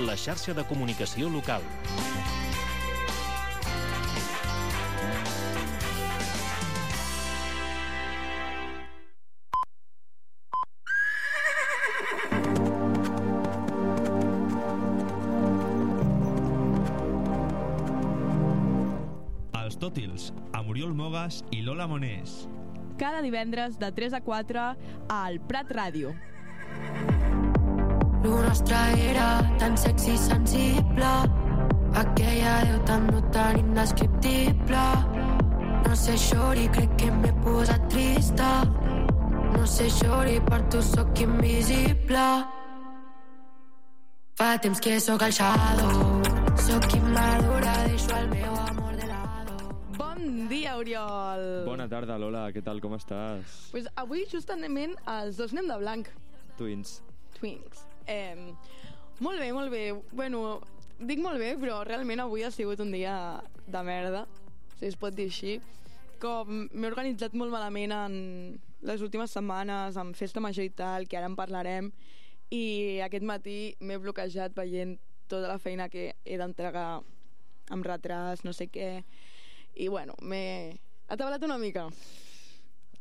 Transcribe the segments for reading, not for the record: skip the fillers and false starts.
la xarxa de comunicació local. Els Tòtils, amb Oriol Mogas i Lola Monés. Cada divendres de 3 a 4 al Prat Ràdio. Lo nostre era tan sexy i sensible, aquella veu tan brutal, indescriptible. No sé, xori, crec que m'he posat trista. No sé, xori, per tu sóc invisible. Fa temps que sóc el shadow, sóc immadura, deixo el meu amor de lado. Bon dia, Oriol. Bona tarda, Lola, què tal, com estàs? Pues avui justament els dos anem de blanc. Twins. Molt bé, molt bé. Bueno, dic molt bé, però realment avui ha sigut un dia de merda, si es pot dir així. Com m'he organitzat molt malament en les últimes setmanes, amb festa major i tal, que ara en parlarem, i aquest matí m'he bloquejat veient tota la feina que he d'entregar amb retras, no sé què, i bueno, m'he atabalat una mica.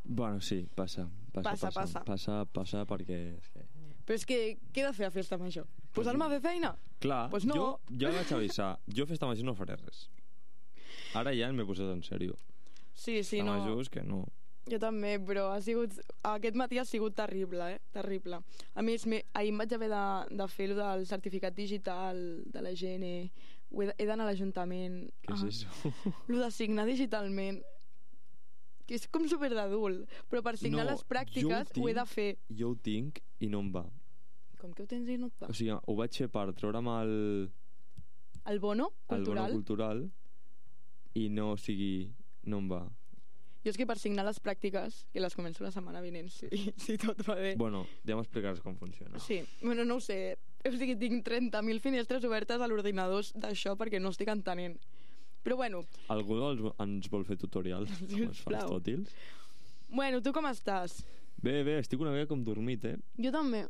Bueno, sí, passa perquè... Però és que què he de fer a festa major? Posar-me a fer feina? Clar, pues no. jo vaig avisar, jo a festa major no faré res. Ara ja m'he posat en sèrio. Sí, festa no. major és que no. Jo també, però aquest matí ha sigut terrible, terrible. A més, ahir em vaig haver de fer allò del certificat digital de la gent, he d'anar a l'Ajuntament. Què és això? Allò de signar digitalment, que és com super d'adult, però per signar les pràctiques ho he de fer. Jo ho tinc i no em va. Com que ho tens i no et va? O sigui, ho vaig fer per treure'm el bono cultural? El bono cultural i no, o sigui, no em va. Jo és que per signar les pràctiques, que les començo la setmana vinent, si tot va bé. Bueno, ja m'explicaràs com funciona. Sí, bueno, no ho sé. O sigui, tinc 30.000 finestres obertes a l'ordinador d'això perquè no estic entenent. Però bueno... Algú ens vol fer tutorial com es fa els tòtils? Bueno, tu com estàs? Bé, estic una mica com dormit, Jo també.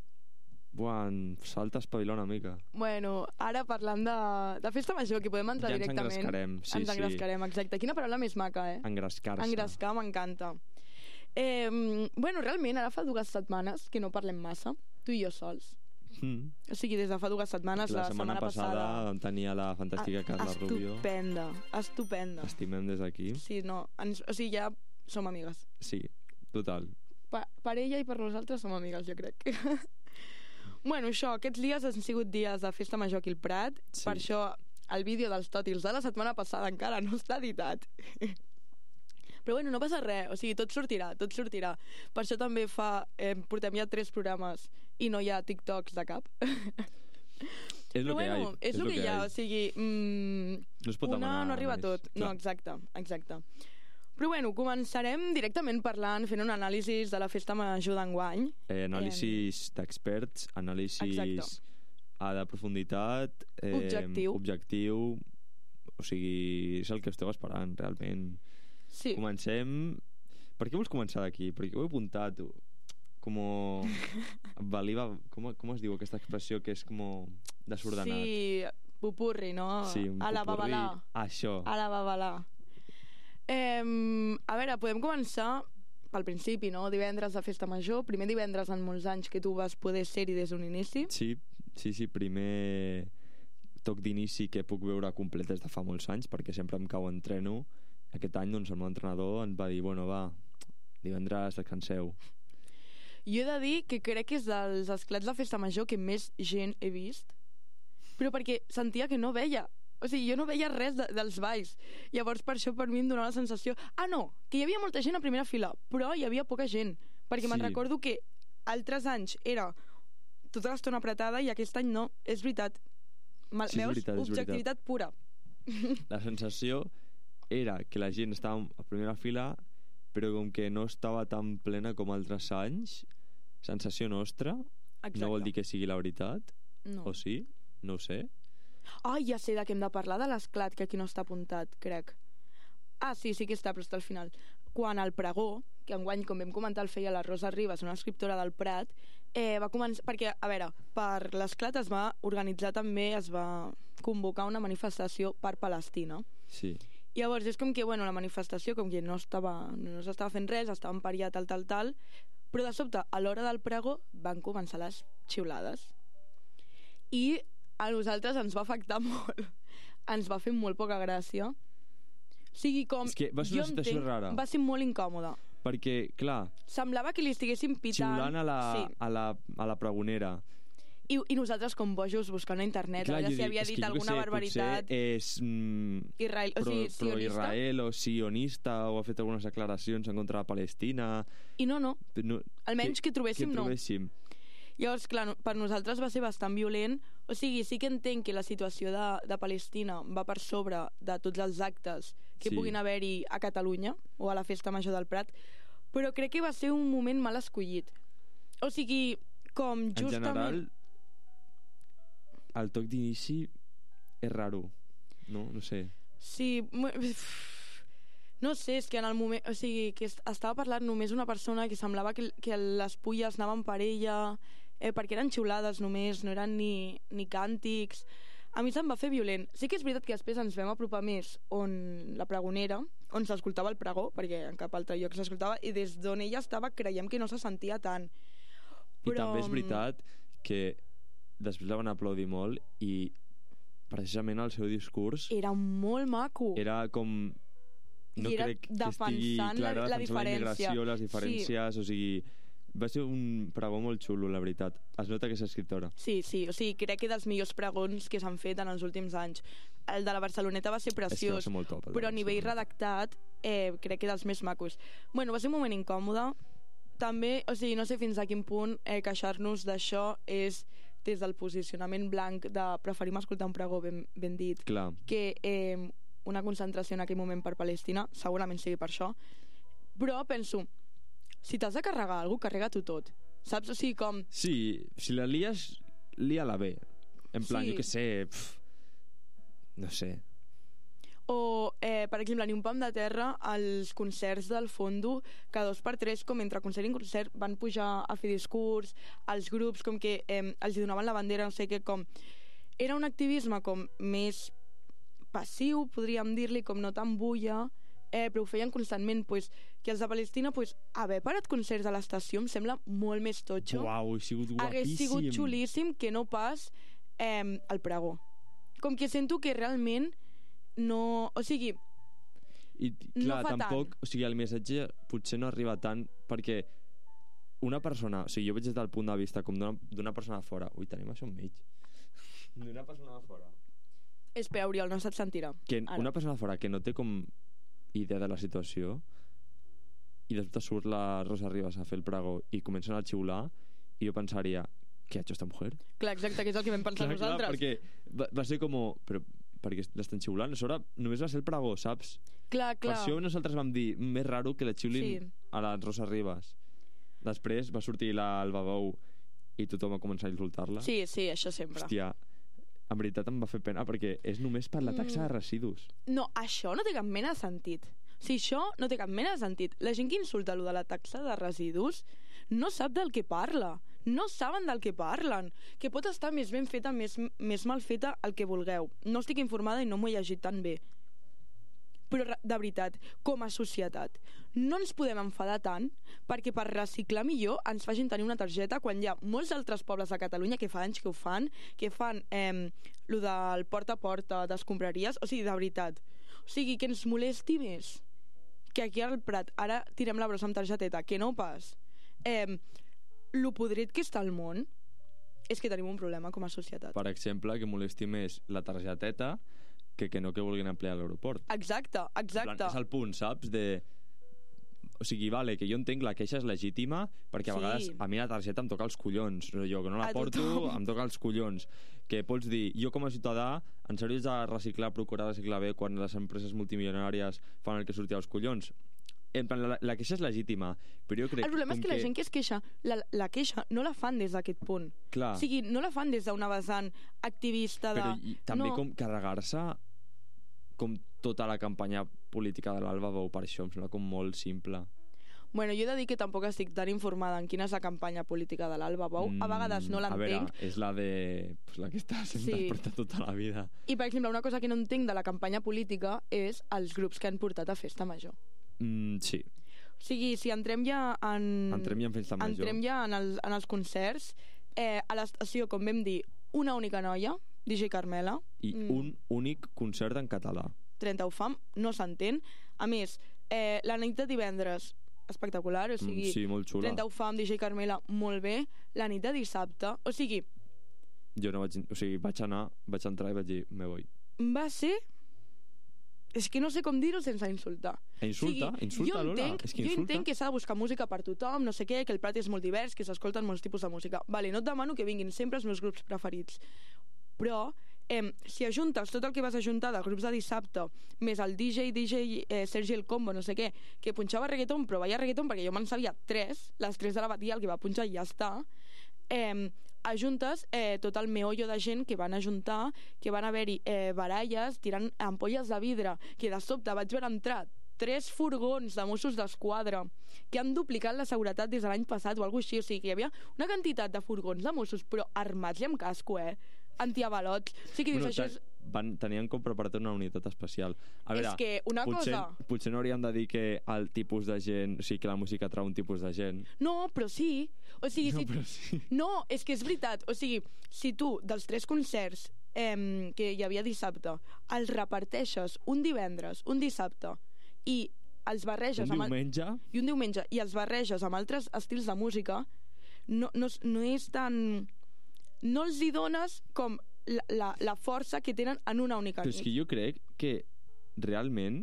Buah, em salta espavilar una mica. Bueno, ara parlant de festa major, que podem entrar directament. Ja ens engrescarem, sí. Ens engrescarem, exacte. Quina paraula més maca, Engrescar-se. Engrescar, m'encanta. Bueno, realment, ara fa 2 setmanes que no parlem massa, tu i jo sols. O sigui, des de fa 2 setmanes, la setmana passada vam tenir la fantàstica Carla Rubio. Estupenda. Estimem des d'aquí. Sí, no, o sigui, ja som amigues. Sí, total. Per ella i per nosaltres som amigues, jo crec. Bueno, aquests dies han sigut dies de festa major aquí al Prat, per això el vídeo dels tòtils de la setmana passada encara no està editat. Però bueno, no passa res, o sigui, tot sortirà. Per això també portem ja 3 programes i no hi ha TikToks de cap. És lo que hi ha. És lo que hi ha, o sigui... no es pot demanar no arriba a tot. No, exacte. Però bueno, començarem directament fent un anàlisi de la festa major d'enguany. Anàlisis d'experts, anàlisis de profunditat, objectiu, o sigui, és el que esteu esperant, realment. Sí. Comencem... Per què vols començar d'aquí? Perquè ho he apuntat, com es diu aquesta expressió que és com desordenat? Sí, pupurri, no? Sí, un pupurri. A la babalà. Això. A la babalà. A veure, podem començar pel principi, no? Divendres de festa major, primer divendres en molts anys que tu vas poder ser-hi des d'un inici. Sí, primer toc d'inici que puc veure complet des de fa molts anys, perquè sempre em cau entreno. Aquest any, doncs, el meu entrenador ens va dir, bueno, va, divendres descanseu. Jo he de dir que crec que és dels esclats de festa major que més gent he vist, però perquè sentia que no veia. O sigui, jo no veia res dels balls. Llavors, per això, per mi em donava la sensació... que hi havia molta gent a primera fila, però hi havia poca gent. Perquè me'n recordo que altres anys era tota l'estona apretada i aquest any no. És veritat. Veus? Objectivitat pura. La sensació era que la gent estava a primera fila, però com que no estava tan plena com altres anys, sensació nostra. Exacte. No vol dir que sigui la veritat. No. O sí? No ho sé. Ja sé de què hem de parlar, de l'esclat, que aquí no està apuntat, crec. Sí que està, però està al final. Quan el pregó, que enguany, com vam comentar, el feia la Rosa Ribas, una escriptora del Prat, va començar... Perquè, a veure, per l'esclat es va organitzar també, es va convocar una manifestació per Palestina. Sí. Llavors és com que, bueno, la manifestació com que no s'estava fent res, estaven pariat, tal, però de sobte, a l'hora del pregó, van començar les xiulades. I a nosaltres ens va afectar molt. Ens va fer molt poca gràcia. O sigui, com... És que va ser una situació rara. Va ser molt incòmode. Perquè, clar... Semblava que li estiguessin pitant... Xiulant a la pregonera. I nosaltres com bojos buscant a internet a veure si havia dit alguna barbaritat. Potser és pro-Israel o sionista o ha fet algunes declaracions en contra de Palestina. I no. Almenys que trobéssim, no. Llavors, clar, per nosaltres va ser bastant violent. O sigui, sí que entenc que la situació de Palestina va per sobre de tots els actes que puguin haver-hi a Catalunya o a la Festa Major del Prat, però crec que va ser un moment mal escollit. O sigui, com justament... En general, el toc d'inici és raro, no? No sé. Sí, no sé, és que en el moment... O sigui, que estava parlant només una persona que semblava que les pulles anaven per ella, perquè eren xiulades només, no eren ni càntics. A mi se'm va fer violent. Sí que és veritat que després ens vam apropar més on la pregonera, on s'escoltava el pregó, perquè en cap altre lloc s'escoltava, i des d'on ella estava creiem que no se sentia tant. Però... I també és veritat que després la van aplaudir molt i precisament el seu discurs era molt maco. Era com... No I era crec que estigui clara la defensant la immigració, les diferències, sí. O sigui... Va ser un pregó molt xulo, la veritat. Es nota que és escriptora. Sí, o sigui, crec que dels millors pregons que s'han fet en els últims anys. El de la Barceloneta va ser preciós, és que va ser molt top, però a nivell redactat crec que dels més macos. Bueno, va ser un moment incòmode. També, o sigui, no sé fins a quin punt queixar-nos d'això és des del posicionament blanc de preferim escoltar un pregó ben dit. Clar. Que una concentració en aquell moment per Palestina, segurament sigui per això, però penso, si t'has de carregar alguna cosa, carrega-t'ho tot. Saps? O sigui, com... Sí, si la lies, lia-la bé. En plan, jo què sé... No sé. O, per exemple, Ni un pam de terra, als concerts del Fondo, cada 2x3, com entre concert i concert, van pujar a fer discurs, als grups, com que els donaven la bandera, no sé què, com... Era un activisme com més passiu, podríem dir-li, com no tan bulla, però ho feien constantment, pues, que els de Palestina, pues, haver parat concerts a l'estació em sembla molt més totxo. Uau, ha sigut guapíssim. Hagués sigut xulíssim que no pas el pregó. Com que sento que realment no... O sigui, clar, no fa tampoc, tant. O sigui, el missatge potser no arriba tant perquè una persona... O sigui, jo veig des del punt de vista com d'una persona de fora... Ui, tenim això enmig. D'una persona de fora... Espera, Oriol, no se't sentirà. Que una persona de fora que no té com idea de la situació i de sobte surt la Rosa Rivas a fer el pregó i comencen a xiular i jo pensaria, què ha hecho esta mujer? Clar, exacte, que és el que vam pensar nosaltres. Clar, perquè va ser com... Però perquè l'estan xiulant, a sobre només va ser el pregó, saps? Clar. Per això nosaltres vam dir, més raro que la xiulin a la Rosa Rivas. Després va sortir l'Alba Bou i tothom va començar a insultar-la. Sí, això sempre. Hòstia, en veritat em va fer pena perquè és només per la taxa de residus. No, això no té cap mena de sentit. O sigui, això no té cap mena de sentit. La gent que insulta allò de la taxa de residus no sap del que parla. No saben del que parlen. Que pot estar més ben feta, més mal feta, el que vulgueu. No estic informada i no m'ho he llegit tan bé. Però, de veritat, com a societat, no ens podem enfadar tant perquè per reciclar millor ens facin tenir una targeta quan hi ha molts altres pobles de Catalunya que fa anys que ho fan, lo del porta a porta, d'escombraries, o sigui, de veritat. O sigui, que ens molesti més que aquí al Prat ara tirem la brossa amb targeteta, que no pas. Lo podrit que està el món és que tenim un problema com a societat. Per exemple, que molesti més la targeteta que no que vulguin ampliar l'aeroport. Exacte. Plan, és el punt, saps? O sigui, vale, que jo entenc la queixa és legítima perquè a vegades a mi la targeta em toca els collons. Jo que no la porto, em toca els collons. Que pots dir, jo com a ciutadà en sèrio has de reciclar, procurar reciclar bé quan les empreses multimilionàries fan el que surti als collons. En plan, la queixa és legítima, però jo crec... El problema és que la gent que es queixa, la queixa no la fan des d'aquest punt. Clar. O sigui, no la fan des d'una vessant activista de... Però també com carregar-se com tota la campanya política de l'Alba Bou, per això em sembla com molt simple. Bueno, jo he de dir que tampoc estic tan informada en quina és la campanya política de l'Alba Bou. A vegades no l'entenc. A veure, és la que està sempre portant tota la vida. I, per exemple, una cosa que no entenc de la campanya política és els grups que han portat a Festa Major. Sí. O sigui, si entrem ja en... Entrem ja en Festa Major. Entrem ja en els concerts. A l'estació, com vam dir, una única noia, DJ Carmela. I un únic concert en català. 30 UFAM, no s'entén. A més, la nit de divendres, espectacular, o sigui... Sí, molt xula. 30 UFAM, DJ Carmela, molt bé. La nit de dissabte, o sigui... Jo no vaig... O sigui, vaig entrar i vaig dir, me voy. Va ser... És que no sé com dir-ho sense insultar. Insulta, o sigui, insulta, Lola. És que insulta. Jo entenc que s'ha de buscar música per tothom, no sé què, que el Prat és molt divers, que s'escolten molts tipus de música. Vale, no et demano que vinguin sempre els meus grups preferits. Però... si ajuntes tot el que vas ajuntar dels grups de dissabte més el DJ Sergi El Combo, no sé què, que punxava reggaeton, però veia reggaeton perquè jo me'n sabia les 3 de la batia, el que va punxar i ja està, ajuntes tot el meollo de gent que van ajuntar, que van haver-hi baralles tirant ampolles de vidre, que de sobte vaig veure entrar 3 furgons de Mossos d'Esquadra que han duplicat la seguretat des de l'any passat o alguna cosa així, o sigui que hi havia una quantitat de furgons de Mossos però armats i amb casco, antiavalots. O sigui que dius, això és... Tenien com preparat una unitat especial. A veure, és que una cosa... Potser no hauríem de dir que el tipus de gent... O sigui, que la música trau un tipus de gent. No, però sí. O sigui, però sí. No, és que és veritat. O sigui, si tu, dels 3 concerts que hi havia dissabte, els reparteixes un divendres, un dissabte, i els barreges... Un diumenge? I un diumenge. I els barreges amb altres estils de música, no és tan... no els hi dones com la força que tenen en una única nit. Però és que jo crec que realment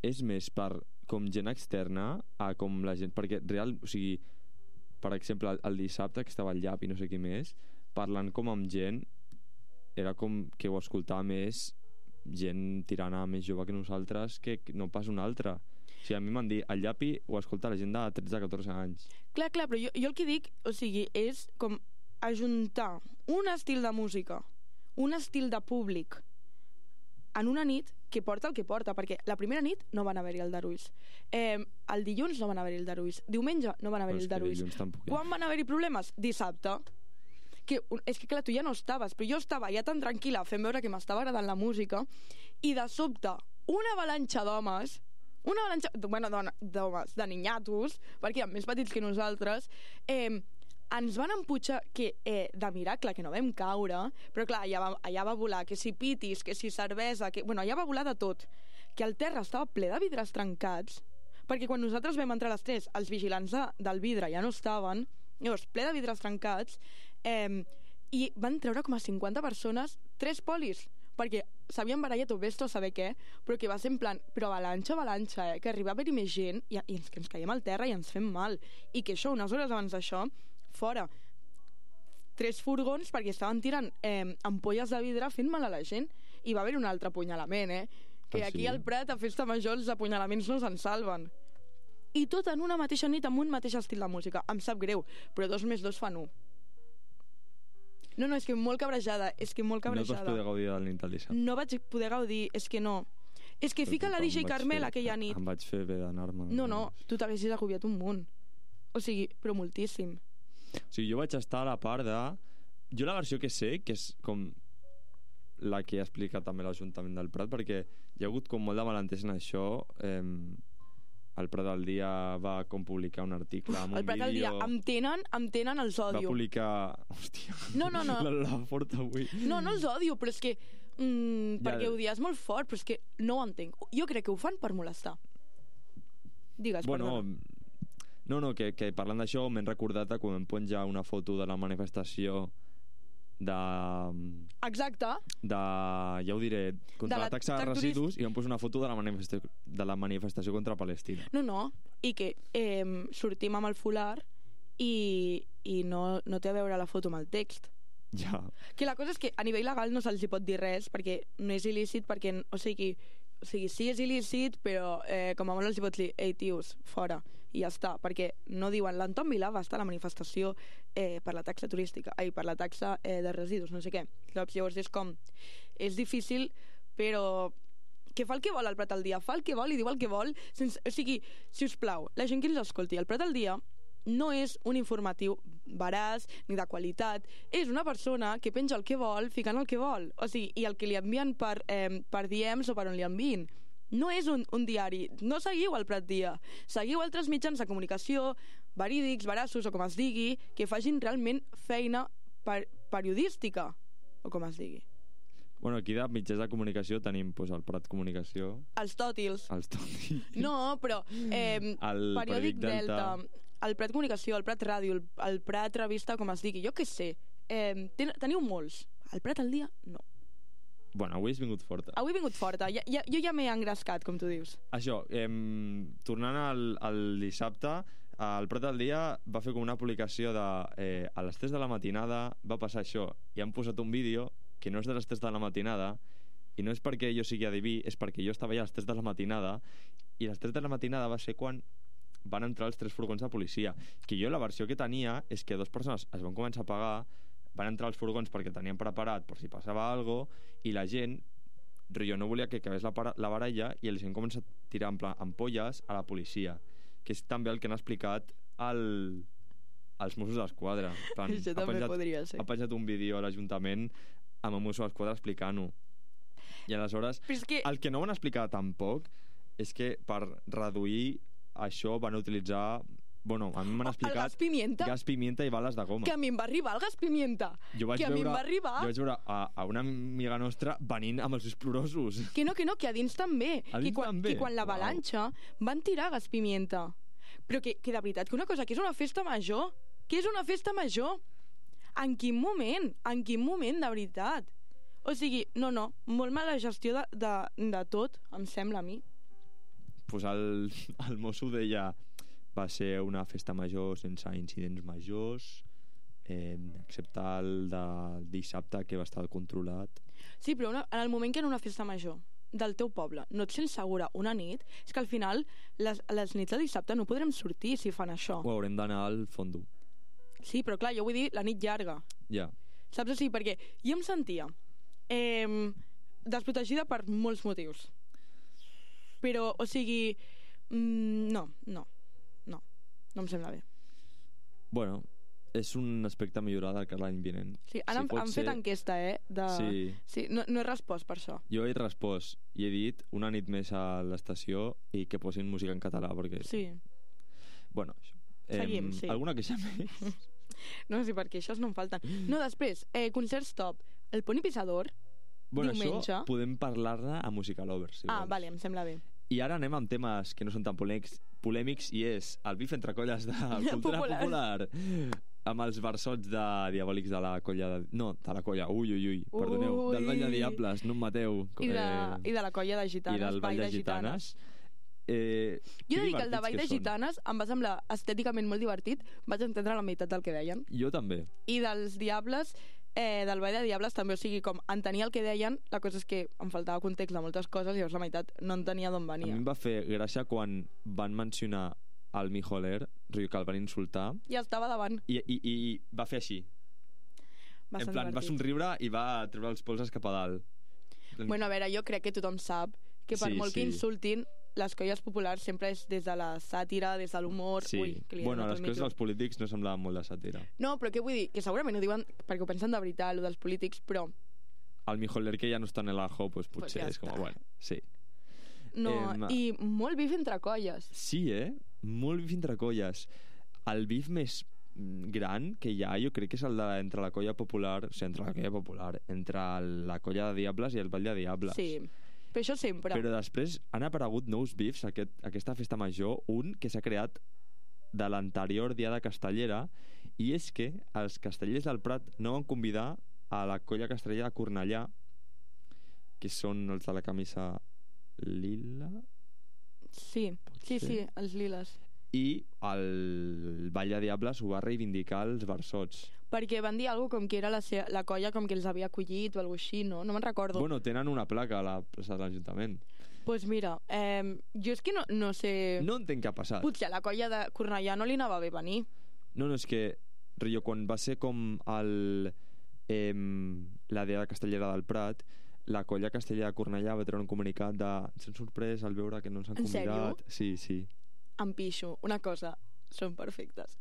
és més per com gent externa a com la gent... Perquè o sigui, per exemple, el dissabte que estava al Llap i no sé qui més, parlant com amb gent, era com que ho escoltava més gent tirana més jove que nosaltres que no pas una altra. O sigui, a mi m'han dit, el Llapi ho escolta la gent de 13-14 anys. Clar, però jo el que dic, o sigui, és com ajuntar un estil de música, un estil de públic en una nit que porta el que porta, perquè la primera nit no van haver-hi el Darulls, el dilluns no van haver-hi el Darulls, diumenge no van haver-hi el Darulls. Quan van haver-hi problemes? Dissabte. És que clar, tu ja no estaves, però jo estava ja tan tranquil·la fent veure que m'estava agradant la música i de sobte una avalanxa d'homes, d'homes, de ninyatos, perquè eren més petits que nosaltres, ens van empujar de miracle que no vam caure, però clar, allà va volar que si pitis, que si cervesa, allà va volar de tot, que el terra estava ple de vidres trencats, perquè quan nosaltres vam entrar a les 3 els vigilants del vidre ja no estaven, llavors ple de vidres trencats, i van treure com a 50 persones 3 polis, perquè s'havien barallat o vés-te a saber què, però que va ser en plan, però avalanxa, que arriba a haver-hi més gent i que ens caiem al terra i ens fem mal, i que això, unes hores abans d'això, fora 3 furgons perquè estaven tirant ampolles de vidre fent mal a la gent, i va haver un altre apunyalament, que aquí al Prat a Festa Major els apunyalaments no se'n salven, i tot en una mateixa nit amb un mateix estil de música. Em sap greu, però 2 més 2 fan 1. No, és que molt cabrejada. No vas poder gaudir del nit del dissabte? No vaig poder gaudir, és que no. És que fica la DJ Carmela aquella nit. Em vaig fer bé d'anar-me. No, tu t'haguessis agobiat un munt. O sigui, però moltíssim. O sigui, jo vaig estar a la part de... Jo la versió que sé, que és com la que ha explicat també l'Ajuntament del Prat, perquè hi ha hagut com molt de malentès en això. El Prat del Dia va com publicar un article amb un vídeo... El Prat del Dia, em tenen els odio. Va publicar... Hòstia, no. La porta avui. No els odio, però és que... perquè odiar és molt fort, però és que no ho entenc. Jo crec que ho fan per molestar. Digues, perdona. No, que parlant d'això m'he recordat de quan em penjar una foto de la manifestació de... Exacte. Ja ho diré, contra la taxa de residus, i em poso una foto de la manifestació contra Palestina. No, i que sortim amb el folar i no té a veure la foto amb el text. Ja. Que la cosa és que a nivell legal no se'ls hi pot dir res, perquè no és il·lícit, perquè, o sigui, sí és il·lícit, però com a molt els hi pots dir, ei, tios, fora, i ja està, perquè no diuen, l'Anton Vilà va estar a la manifestació per la taxa turística, per la taxa de residus, no sé què. Llavors és com, és difícil, però que fa el que vol al Prat al Dia, fa el que vol i diu el que vol, o sigui, si us plau, la gent que ens escolti, el Prat al Dia no és un informatiu veraç ni de qualitat, és una persona que penja el que vol ficant el que vol, o sigui, i el que li envien per DMs o per on li envien. No és un diari, no seguiu el Prat Dia, seguiu altres mitjans de comunicació verídics, veraços o com es digui, que facin realment feina periodística, o com es digui. Bueno, aquí de mitjans de comunicació tenim el Prat Comunicació. Els tòtils. No, però el periòdic Delta, el Prat Comunicació, el Prat Ràdio, el Prat Revista, com es digui, jo què sé. Teniu molts. El Prat al Dia, no. Bueno, avui has vingut forta. Avui he vingut forta. Jo ja m'he engrescat, com tu dius. Això, tornant al dissabte, el Prat al Dia va fer com una publicació de a les 3 de la matinada va passar això, i han posat un vídeo que no és de les 3 de la matinada, i no és perquè jo sigui adiví, és perquè jo estava allà a les 3 de la matinada, i a les 3 de la matinada va ser quan van entrar els 3 furgons de policia, que jo la versió que tenia és que 2 persones es van començar a pagar, van entrar els furgons perquè tenien preparat per si passava alguna cosa, i la gent no volia que acabés la baralla, i els han començat a tirar en plan ampolles a la policia, que és també el que han explicat als Mossos d'Esquadra. Això també podria ser. Ha penjat un vídeo a l'Ajuntament amb el Mossos d'Esquadra explicant-ho. I aleshores, el que no van explicar tampoc és que per reduir això van utilitzar... Bueno, a mi m'han explicat... El gas pimienta. Gas pimienta i bales de goma. Que a mi em va arribar el gas pimienta. Jo vaig veure a una amiga nostra venint amb els ulls plorosos. Que no, que a dins també. Que quan l'avalanxa van tirar gas pimienta. Però que de veritat, que una cosa que és una festa major, en quin moment, de veritat? O sigui, no, molt mala gestió de tot, em sembla a mi. Pues el mosso deia... Va ser una festa major sense incidents majors, excepte el del dissabte, que va estar controlat. Sí, però en el moment que era una festa major del teu poble no et sents segura una nit, és que al final les nits de dissabte no podrem sortir si fan això. O haurem d'anar al fondo. Sí, però clar, jo vull dir la nit llarga. Ja. Saps? O sigui, perquè jo em sentia desprotegida per molts motius. Però, o sigui, no em sembla bé. Bueno, és un aspecte a millorar del que l'any vinent. Sí, han fet enquesta, Sí, no he respost per això. Jo he respost i he dit una nit més a l'estació i que posin música en català, perquè... Sí. Bueno, seguim, sí. Alguna queixa més? No, sí, perquè això no em falten. No, després, concerts top. El Pony Pissador, diumenge... Això podem parlar-ne a Musical Lovers, si vols. Vale, em sembla bé. I ara anem amb temes que no són tan polèmics, i és el bif entre colles de cultura popular amb els versots de Diabòlics de la colla perdoneu, del Ball de Diables, no em mateu, i de la colla de gitanes, i del Ball de Gitanes. Jo he de dir que el de Ball de Gitanes em va semblar estèticament molt divertit, vaig entendre la meitat del que deien. Jo també. I dels Diables, del Ball de Diables també, o sigui, com entenia el que deien, la cosa és que em faltava context de moltes coses i llavors la meitat no entenia d'on venia. A mi em va fer gràcia quan van mencionar el Mijoler, que el van insultar, i estava davant i va fer així, en plan, va somriure i va treure els polses cap a dalt. Bueno, a veure, jo crec que tothom sap que per molt que insultin, les colles populars sempre és des de la sàtira, des de l'humor... Sí, bueno, les coses dels polítics no semblaven molt de sàtira. No, però què vull dir? Que segurament ho diuen perquè ho pensen de veritat, el dels polítics, però... El Mijoler, que ja no està en el ajo, pues potser és com, bueno, sí. No, i molt bif entre colles. Sí, molt bif entre colles. El bif més gran que hi ha, jo crec que és el entre la colla popular, o sigui, entre la colla de Diables i el Ball de Diables. Sí, però això sempre. Però després han aparegut nous bifs aquesta festa major, un que s'ha creat de l'anterior Diada Castellera, i és que els castellers del Prat no van convidar a la colla castellera de Cornellà, que són els de la camisa lila? Sí, els liles. I el Ball de Diables ho va reivindicar els versots. Perquè van dir alguna com que era la colla com que els havia acollit o alguna així, no? No me'n recordo. Bueno, tenen una placa a la plaça de l'Ajuntament. Pues mira, jo és que no sé... No entenc què ha passat. Potser a la colla de Cornellà no li anava bé venir. No, és que quan va ser com la Diada Castellera del Prat, la colla Castellà de Cornellà va treure un comunicat de ens han sorprès al veure que no ens han convidat. En sèrio? Sí. Em pixo. Una cosa, són perfectes.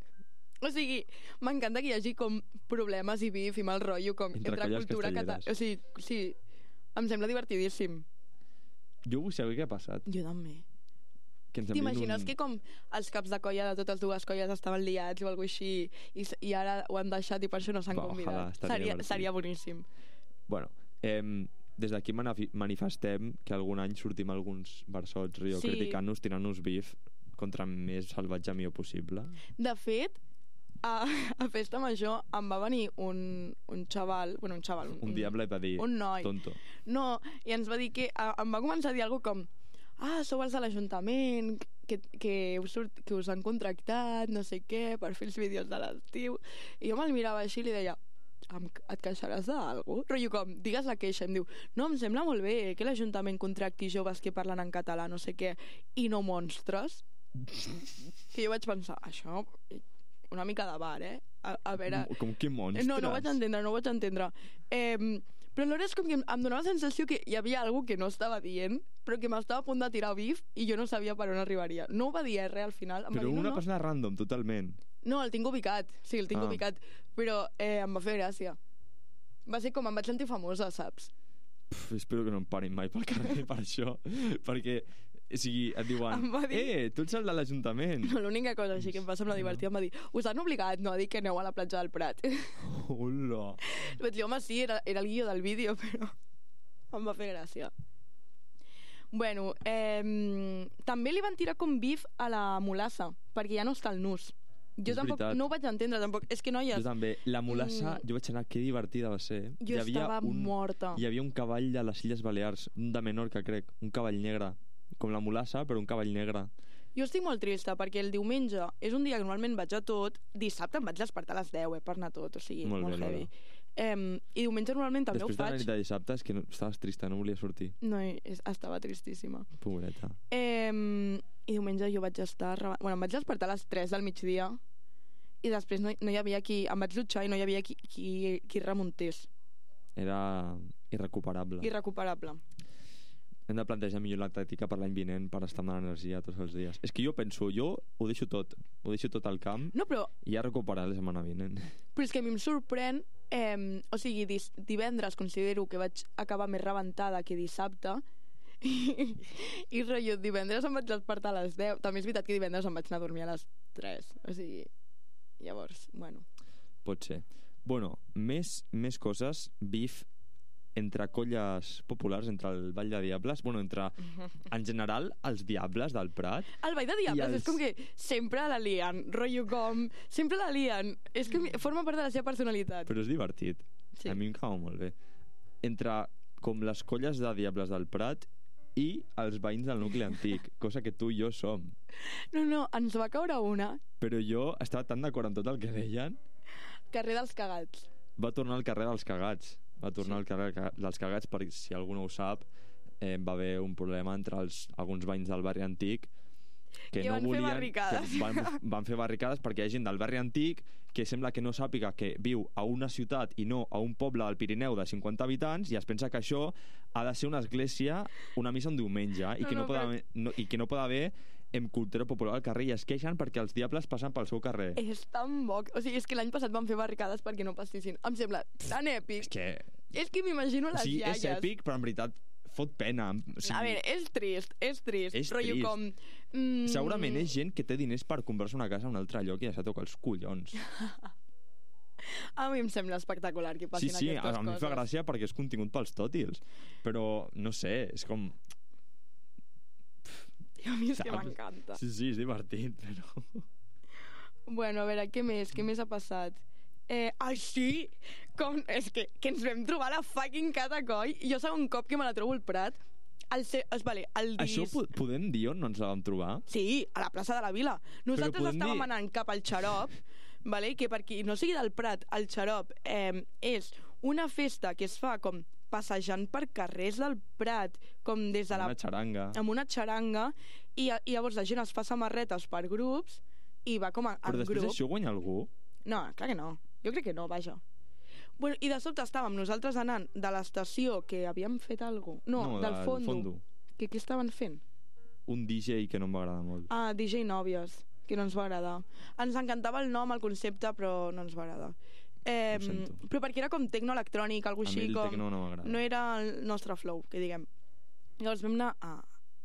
O sigui, m'encanta que hi hagi com problemes i bif i mal rotllo com Entre cultura catalana. O sigui, sí, em sembla divertidíssim. Jo vull saber què ha passat. Jo també. Que t'imagines que com els caps de colla de totes dues colles estaven liats o alguna així i ara ho han deixat i per això no s'han convidat? Seria boníssim. Bueno, des d'aquí manifestem que algun any sortim alguns versots criticant-nos, tirant-nos bif contra més salvatge millor possible. De fet, a Festa Major em va venir un xaval, un diable va dir, un noi, tonto. No, i ens va dir que em va començar a dir alguna com sou els de l'Ajuntament que us han contractat no sé què per fer els vídeos de l'estiu, i jo me'l mirava així i li deia, et queixaràs d'algú? Rotllo com, digues la queixa. Em diu, no, em sembla molt bé que l'Ajuntament contracti joves que parlen en català, no sé què, i no monstres. Que jo vaig pensar, això una mica de bar, a veure... Com que monstres? No ho vaig entendre. Però alhora és com que em donava la sensació que hi havia algú que no estava dient, però que m'estava a punt de tirar bif i jo no sabia per on arribaria. No ho va dir res al final. Però una persona random, totalment. No, el tinc ubicat. Sí, el tinc ubicat. Però em va fer gràcia. Va ser com em vaig sentir famosa, saps? Espero que no em parin mai pel carrer per això. Perquè, o sigui, et diuen tu ets el de l'Ajuntament. No, l'única cosa així que em va semblar divertida em va dir, us han obligat, no, a dir que aneu a la platja del Prat. Hola. Vaig dir, home, sí, era el guió del vídeo, però em va fer gràcia. Bueno, també li van tirar com bif a la mulassa, perquè ja no està al nus. Jo tampoc no ho vaig entendre, tampoc. És que, noies... Jo també. La mulassa, jo vaig anar, que divertida va ser. Jo estava morta. Hi havia un cavall de les Illes Balears, un de Menorca, crec, un cavall negre. Com la mulassa, però un cavall negre. Jo estic molt trista, perquè el diumenge és un dia que normalment vaig a tot. Dissabte em vaig despertar a les 10, per anar a tot, o sigui, molt heavy. I diumenge normalment també ho faig. Després de la nit de dissabte és que estaves trista, no volia sortir. No, estava tristíssima. Pobreta. I diumenge jo vaig estar... Bueno, em vaig despertar a les 3 del migdia i després no hi havia qui... Em vaig dutxar i no hi havia qui remuntés. Era irrecuperable. Hem de plantejar millor la tàctica per l'any vinent per estar amb l'energia tots els dies. És que jo penso, jo ho deixo tot al camp i ja recuperar la setmana vinent. Però és que a mi em sorprèn, o sigui, divendres considero que vaig acabar més rebentada que dissabte i rotllo, divendres em vaig despertar a les 10. També és veritat que divendres em vaig anar a dormir a les 3, o sigui, llavors, bueno. Pot ser. Bueno, més coses, bif entre colles populars, entre el Ball de Diables, bueno, entre, en general, els Diables del Prat. El Ball de Diables és com que sempre la lien, rotllo com... Sempre la lien. És que forma part de la seva personalitat. Però és divertit. Sí. A mi em cau molt bé. Entre com les colles de Diables del Prat i els veïns del nucli antic, cosa que tu i jo som. No, ens va caure una. Però jo estava tan d'acord amb tot el que deien. Carrer dels Cagats. Va tornar al carrer dels Cagats. Va tornar al carrer dels Cagats, perquè si algú no ho sap, va haver un problema entre alguns veïns del barri antic que no volien... Van fer barricades perquè hi ha gent del barri antic que sembla que no sàpiga que viu a una ciutat i no a un poble del Pirineu de 50 habitants i es pensa que això ha de ser una església, una missa un diumenge i que no pot haver cultura popular al carrer i es queixen perquè els diables passen pel seu carrer. És tan bo. O sigui, és que l'any passat van fer barricades perquè no passessin. Em sembla tan èpic. És que m'imagino les iaies. És èpic, però en veritat fot pena. O sigui, a veure, és trist. És trist. Com, segurament és gent que té diners per comprar-se una casa a un altre lloc i ja s'ha tocat els collons. A mi em sembla espectacular que passin aquestes coses. Sí, a mi em fa gràcia perquè és contingut pels tòtils. Però, no sé, és com... A mi és que m'encanta. Sí, és divertit, però... Bueno, a veure, què més ha passat? Sí! És que ens vam trobar la fucking Catacoll. Jo segon cop que me la trobo al Prat. Això podem dir on no ens la vam trobar? Sí, a la plaça de la Vila. Nosaltres estàvem anant cap al Xarop, que per qui no sigui del Prat, el Xarop és una festa que es fa com passejant per carrers del Prat, com des de amb una xaranga, i llavors la gent es fa samarretes per grups i va com en grup. Però després això guanya algú? No, clar que no. Jo crec que no, vaja. Bueno, i de sobte estàvem nosaltres anant de l'estació que havíem fet alguna cosa. No, del fondo. Què estaven fent? Un DJ que no em va agradar molt. Ah, DJ Nòvies, que no ens va agradar. Ens encantava el nom, el concepte, però no ens va agradar. Però perquè era com tecno-electrònic, alguna cosa així. A mi el tecno no m'agrada. No era el nostre flow, que diguem. Llavors vam anar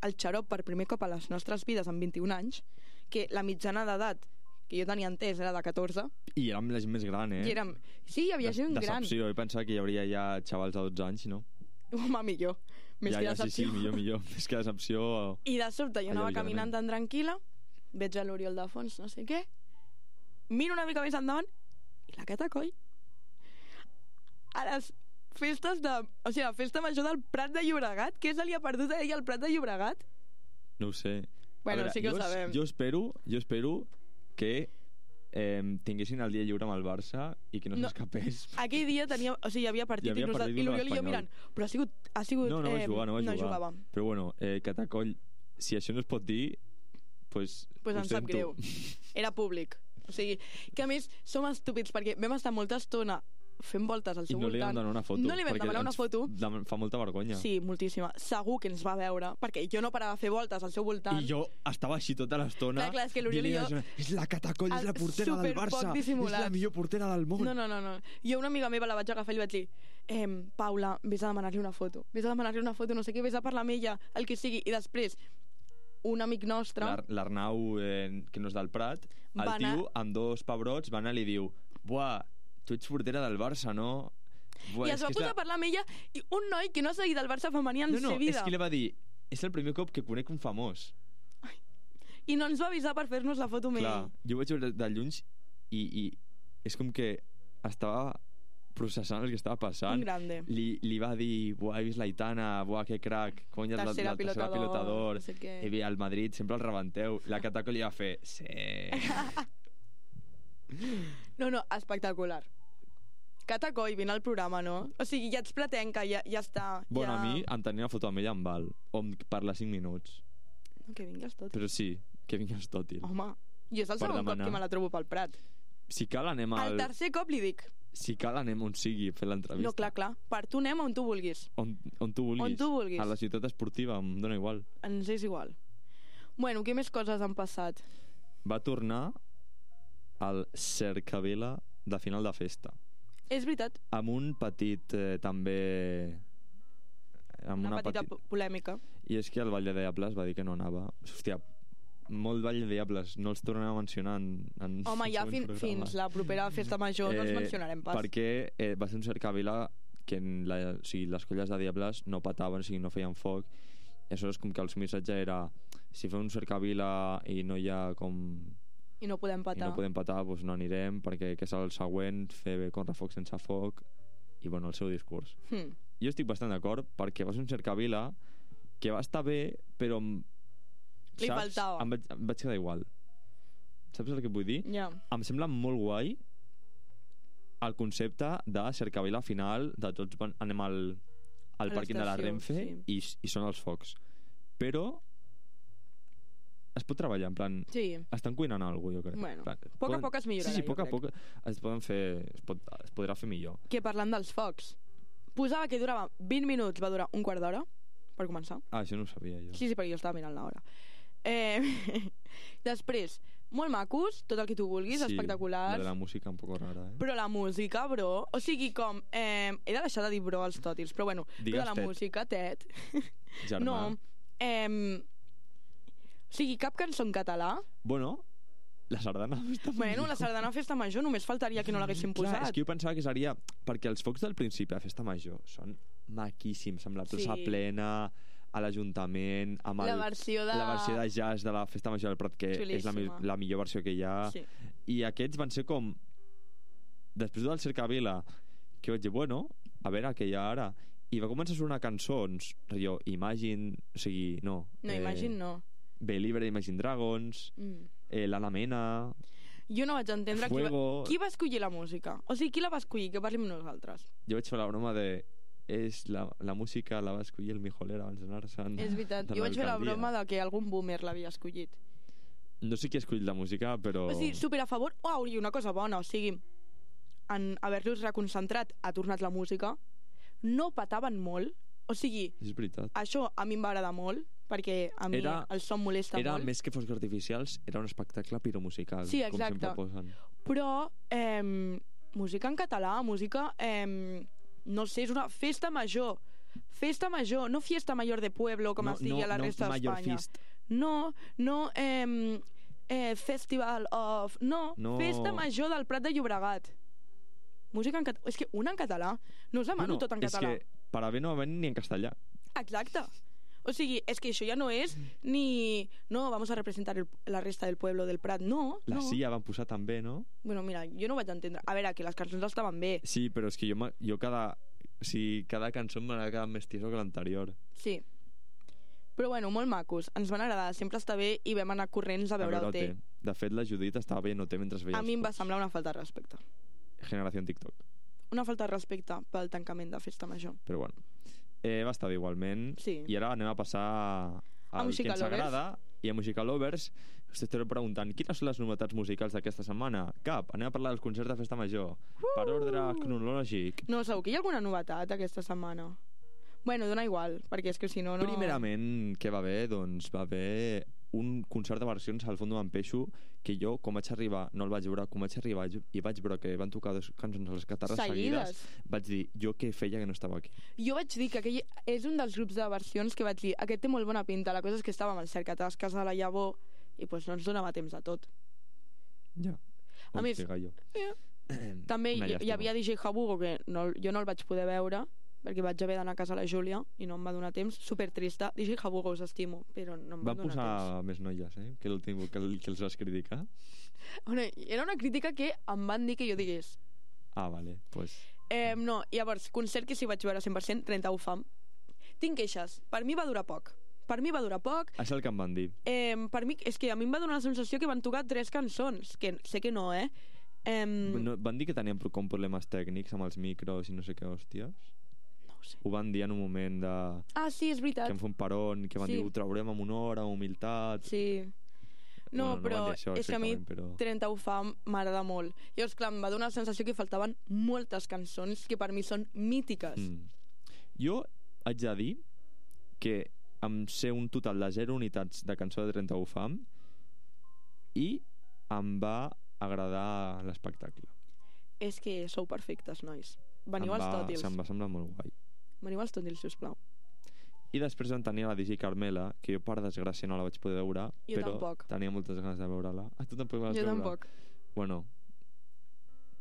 al xarop per primer cop a les nostres vides amb 21 anys, que la mitjana d'edat que jo tenia entès era de 14. I érem la gent més gran, eh? Sí, hi havia gent gran. Decepció, he pensat que hi hauria ja xavals de 12 anys, no? Home, millor. Més que decepció. Sí, millor. Més que decepció... I de sobte jo anava caminant tan tranquil·la, veig a l'Oriol de fons, no sé què, miro una mica més endavant i la Cata Coll a les festes o sigui, la festa major del Prat de Llobregat. Què se li ha perdut a ella al Prat de Llobregat? No ho sé. Bueno, veure, sí que ho sabem. Jo espero que tinguessin el dia lliure amb el Barça i que no s'escapés. Aquell dia hi havia partit i l'Oriol i jo mirant, però ha sigut no va jugar. No jugava. Però bueno, Catacoll, si això no es pot dir, pues em sap greu. Era públic. O sigui, que a més som estúpids perquè vam estar molta estona fent voltes al seu voltant. I no li vam demanar una foto. No li vam demanar una foto. Fa molta vergonya. Sí, moltíssima. Segur que ens va veure, perquè jo no parava de fer voltes al seu voltant. I jo estava així tota l'estona. Clar, és que l'Oriol i jo... És la Catacoll, és la portera del Barça. És la millor portera del món. No. Jo una amiga meva la vaig agafar i li vaig dir Paula, vés a demanar-li una foto. No sé què, vés a parlar amb ella, el que sigui. I després, un amic nostre... L'Arnau, que no és del Prat, el tio, amb 2 pebrots, va anar i li diu: buah, tu ets portera del Barça, no? I es va posar a parlar amb ella, i un noi que no ha seguit el Barça femení en sa vida. És que li va dir: és el primer cop que conec un famós. I no ens va avisar per fer-nos la foto amb ell. Clar, jo vaig veure de lluny i és com que estava processant el que estava passant. Un grande. Li va dir: buah, he vist l'Aitana, buah, que crac, guanyat la tercera pilotador, no sé què. Al Madrid sempre el rebenteu. La Catacoll li va fer: sí. No, espectacular. Cata Coll, vine al programa, no? O sigui, ja ets pretenca, ja està. Bueno, a mi em tenia una foto amb ella en Val, on parla 5 minuts. No, que vingues tot. Però sí, que vingues tot. Home, jo és el segon cop que me la trobo pel Prat. Si cal anem al... El tercer cop li dic. Si cal anem on sigui, fer l'entrevista. No, clar. Per tu anem on tu vulguis. On tu vulguis. On tu vulguis. A la ciutat esportiva, em dóna igual. Ens és igual. Bueno, què més coses han passat? Va tornar al Cercavila de final de festa. És veritat. Amb un petit, també... Amb una petita polèmica. I és que el Vall de Diables va dir que no anava. Hòstia, molt Vall de Diables, no els tornarem a mencionar en home, ja fins la propera festa major no els mencionarem pas. Perquè va ser un Cercavila que o sigui, les colles de Diables no pataven, o sigui, no feien foc, i això és com que el seu missatge era: si fem un Cercavila i no hi ha com... I no podem patar, doncs no anirem, perquè que és el següent, fer contrafoc sense foc, i bueno, el seu discurs. Jo estic bastant d'acord, perquè va ser un Cercavila que va estar bé, però li faltava. Em vaig quedar igual. Saps el que vull dir? Yeah. Em sembla molt guai el concepte de Cercavila final, de tots anem al pàrquing de la Renfe, sí. i són els focs. Però es pot treballar, en plan... Sí. Estan cuinant alguna cosa, jo crec. Bueno, a poc es millorarà, sí, a poc es podrà fer millor. Que parlant dels focs, posava que durava 20 minuts, va durar un quart d'hora per començar. Ah, això no ho sabia jo. Sí, perquè jo estava mirant l'hora. Després, molt macos, tot el que tu vulguis, sí, espectaculars. La música un poc rara, Però la música, bro, o sigui, com... he de deixar de dir bro als tòtils, però bueno, digues però la tet. Música, tet. Germà. No, o sigui, cap cançó en català. Bueno, la sardana festa major. Bueno, la sardana festa major, només faltaria que no l'haguessin posat. Clar, és que jo pensava que seria... Perquè els focs del principi a festa major són maquíssims, amb la plaça plena, a l'Ajuntament, amb la versió de jazz de la festa major del Prat, que xulíssima. És la millor versió que hi ha. Sí. I aquests van ser com... Després del Cercavila, que vaig dir, bueno, a veure què hi ha ara. I va començar a sonar cançons, jo, Imagine, o sigui, no. No, Imagine no. Believer, Imagine Dragons, l'Anna Mena... Jo no vaig entendre qui va escollir la música. O sigui, qui la va escollir? Que parlim nosaltres. Jo vaig fer la broma de... la música la va escollir el Mijoler abans d'anar-se'n. És veritat, jo vaig fer la broma de que algun boomer l'havia escollit. No sé qui ha escollit la música, però... O sigui, super a favor... i una cosa bona, o sigui... en haver-los reconcentrat ha tornat la música, no petaven molt, o sigui, és veritat. això a mi em va agradar molt, perquè a mi el son molesta era molt. més que focs artificials, era un espectacle piromusical, sí, com sempre posen. Però música en català, música no sé, és una festa major, no fiesta mayor de pueblo com es digui a la resta d'Espanya. No, festival of... No, festa major del Prat de Llobregat. Música en català. És que una en català. No us demano tot en català. És que para bé no va venir ni en castellà. Exacte. O sigui, és que això ja no és ni... No, vamos a representar la resta del pueblo del Prat. No, La Cia van posar també, no? Bueno, mira, jo no ho vaig entendre. A veure, que les cançons estaven bé. Sí, però és que jo cada cançó m'ha quedat més tieso que l'anterior. Sí. Però bueno, molt macos. Ens van agradar, sempre està bé i vam anar corrents a veure el té. De fet, la Judit estava veient el té mentre veia A mi em va semblar una falta de respecte. Generació TikTok. Una falta de respecte pel tancament de festa major. Però bueno, va estar bé igualment. Sí. I ara anem a passar al que ens agrada. I a Musical Lovers us estaré preguntant quines són les novetats musicals d'aquesta setmana. Cap, anem a parlar dels concerts de festa major. Per ordre cronològic. No, segur que hi ha alguna novetat aquesta setmana. Bueno, dona igual, perquè és que si no... Primerament, què va haver? Doncs va haver un concert de versions al Fondo d'Empeixo que jo, com vaig arribar, no el vaig veure, com vaig arribar i vaig veure que van tocar dues cançons a les guitarres seguides, vaig dir, jo què feia que no estava aquí? Jo vaig dir que aquell és un dels grups de versions que vaig dir, aquest té molt bona pinta, la cosa és que estàvem al cercatasques de la Llavor i pues no ens donava temps a tot. Ja, a més, també hi havia DJ Habugo que jo no el vaig poder veure perquè vaig haver d'anar a casa a la Júlia i no em va donar temps, super trista. DJ Habugo us estimo, però no em va donar temps. Van posar més noies, que l'últim que els vas criticar? Era una crítica que em van dir que jo digués. Ah, vale, pues... No, llavors, concert que sí vaig veure 100%, 31 fam. Tinc queixes, per mi va durar poc. És el que em van dir. Per mi, és que a mi em va donar la sensació que van tocar 3 cançons, que sé que no, Van dir que tenien com problemes tècnics amb els micros i no sé què, hòsties? Ho van dir en un moment de... Ah, sí, és veritat. Que em fa un peron, que van dir ho traurem amb honor, amb humilitat... Sí. No, però això, és que a mi 31 fam m'agrada molt. Llavors, clar, em va donar la sensació que faltaven moltes cançons que per mi són mítiques. Jo haig de dir que em sé un total de 0 unitats de cançó de 31 fam i em va agradar l'espectacle. És que sou perfectes, nois. Veniu als Tòtils. Se'm va semblar molt guai. Veniu als Tòtils, sisplau. I després vam tenir la DJ Carmela, que jo per desgràcia no la vaig poder veure, però tampoc. Tenia moltes ganes de veure-la. Tu tampoc vas veure? Jo tampoc. Bueno,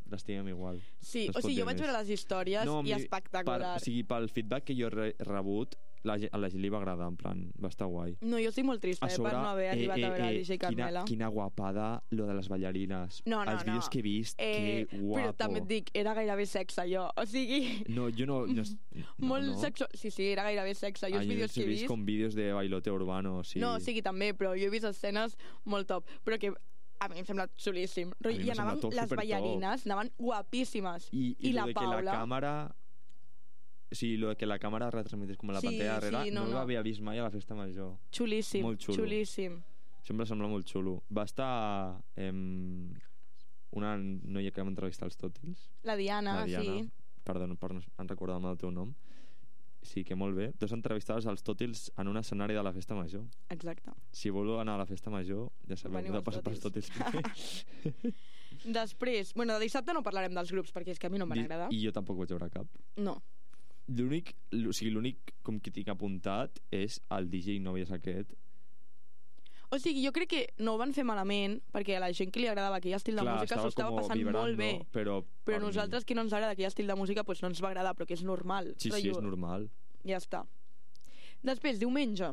l'estimem igual. Sí, o sigui, jo vaig veure les històries i espectacular. O sigui, pel feedback que jo he rebut, a la gent li va agradar, en plan, va estar guai. No, jo estic molt trista per no haver arribat a veure la DJ Carmela. Quina guapada, lo de les ballarines. Els vídeos que he vist, que guapo. Però també et dic, era gairebé sexe, jo. O sigui... No, jo no... molt sexual. Sí, era gairebé sexe. Jo els vídeos que he vist... com vídeos de bailote urbano, sí. No, o sigui, també, però jo he vist escenes molt top. Però que a mi em sembla xulíssim. I anaven les ballarines, anaven guapíssimes. I la Paula... que la càmera... Sí, lo de que la càmera retransmitís com a la pantalla darrere, no l'havia vist mai a la festa major. Xulíssim, molt xulo. Xulíssim. Sempre sembla molt xulo. Va estar una noia que vam entrevistar als Tòtils. La Diana, sí. Perdó, en recordar-me el teu nom. Sí, que molt bé. 2 entrevistades als Tòtils en un escenari de la festa major. Exacte. Si voleu anar a la festa major, ja sabeu, heu de passar pels Tòtils. Després, bueno, de dissabte no parlarem dels grups, perquè és que a mi no m'han agradat. I jo tampoc vaig veure cap. No. L'únic com que tinc apuntat és el DJ Novies aquest. O sigui, jo crec que no ho van fer malament, perquè a la gent que li agradava aquell estil de música s'ho estava passant molt bé. Però nosaltres que no ens agrada aquell estil de música pues no ens va agradar, però que és normal. Sí, és normal. Ja està. Després, diumenge,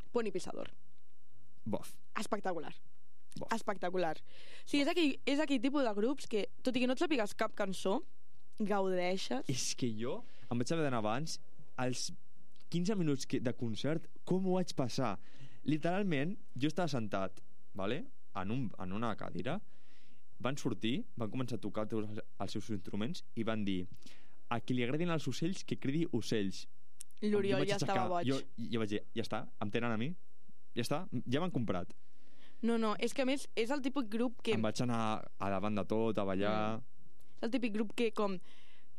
Pony Pissador. Bof. Espectacular. Espectacular. Sí, és aquell tipus de grups que, tot i que no et sàpigues cap cançó, gaudeixes. És que jo em vaig haver d'anar abans, als 15 minuts de concert, com ho vaig passar? Literalment, jo estava sentat, vale? en una cadira, van sortir, van començar a tocar els seus instruments i van dir, a qui li agradin els ocells, que cridi ocells. L'Oriol ja estava boig. Jo vaig dir, ja està, em tenen a mi, ja està, ja m'han comprat. No, és que a més és el tipus grup que... Em vaig anar a davant de tot, a ballar... És el típic grup que com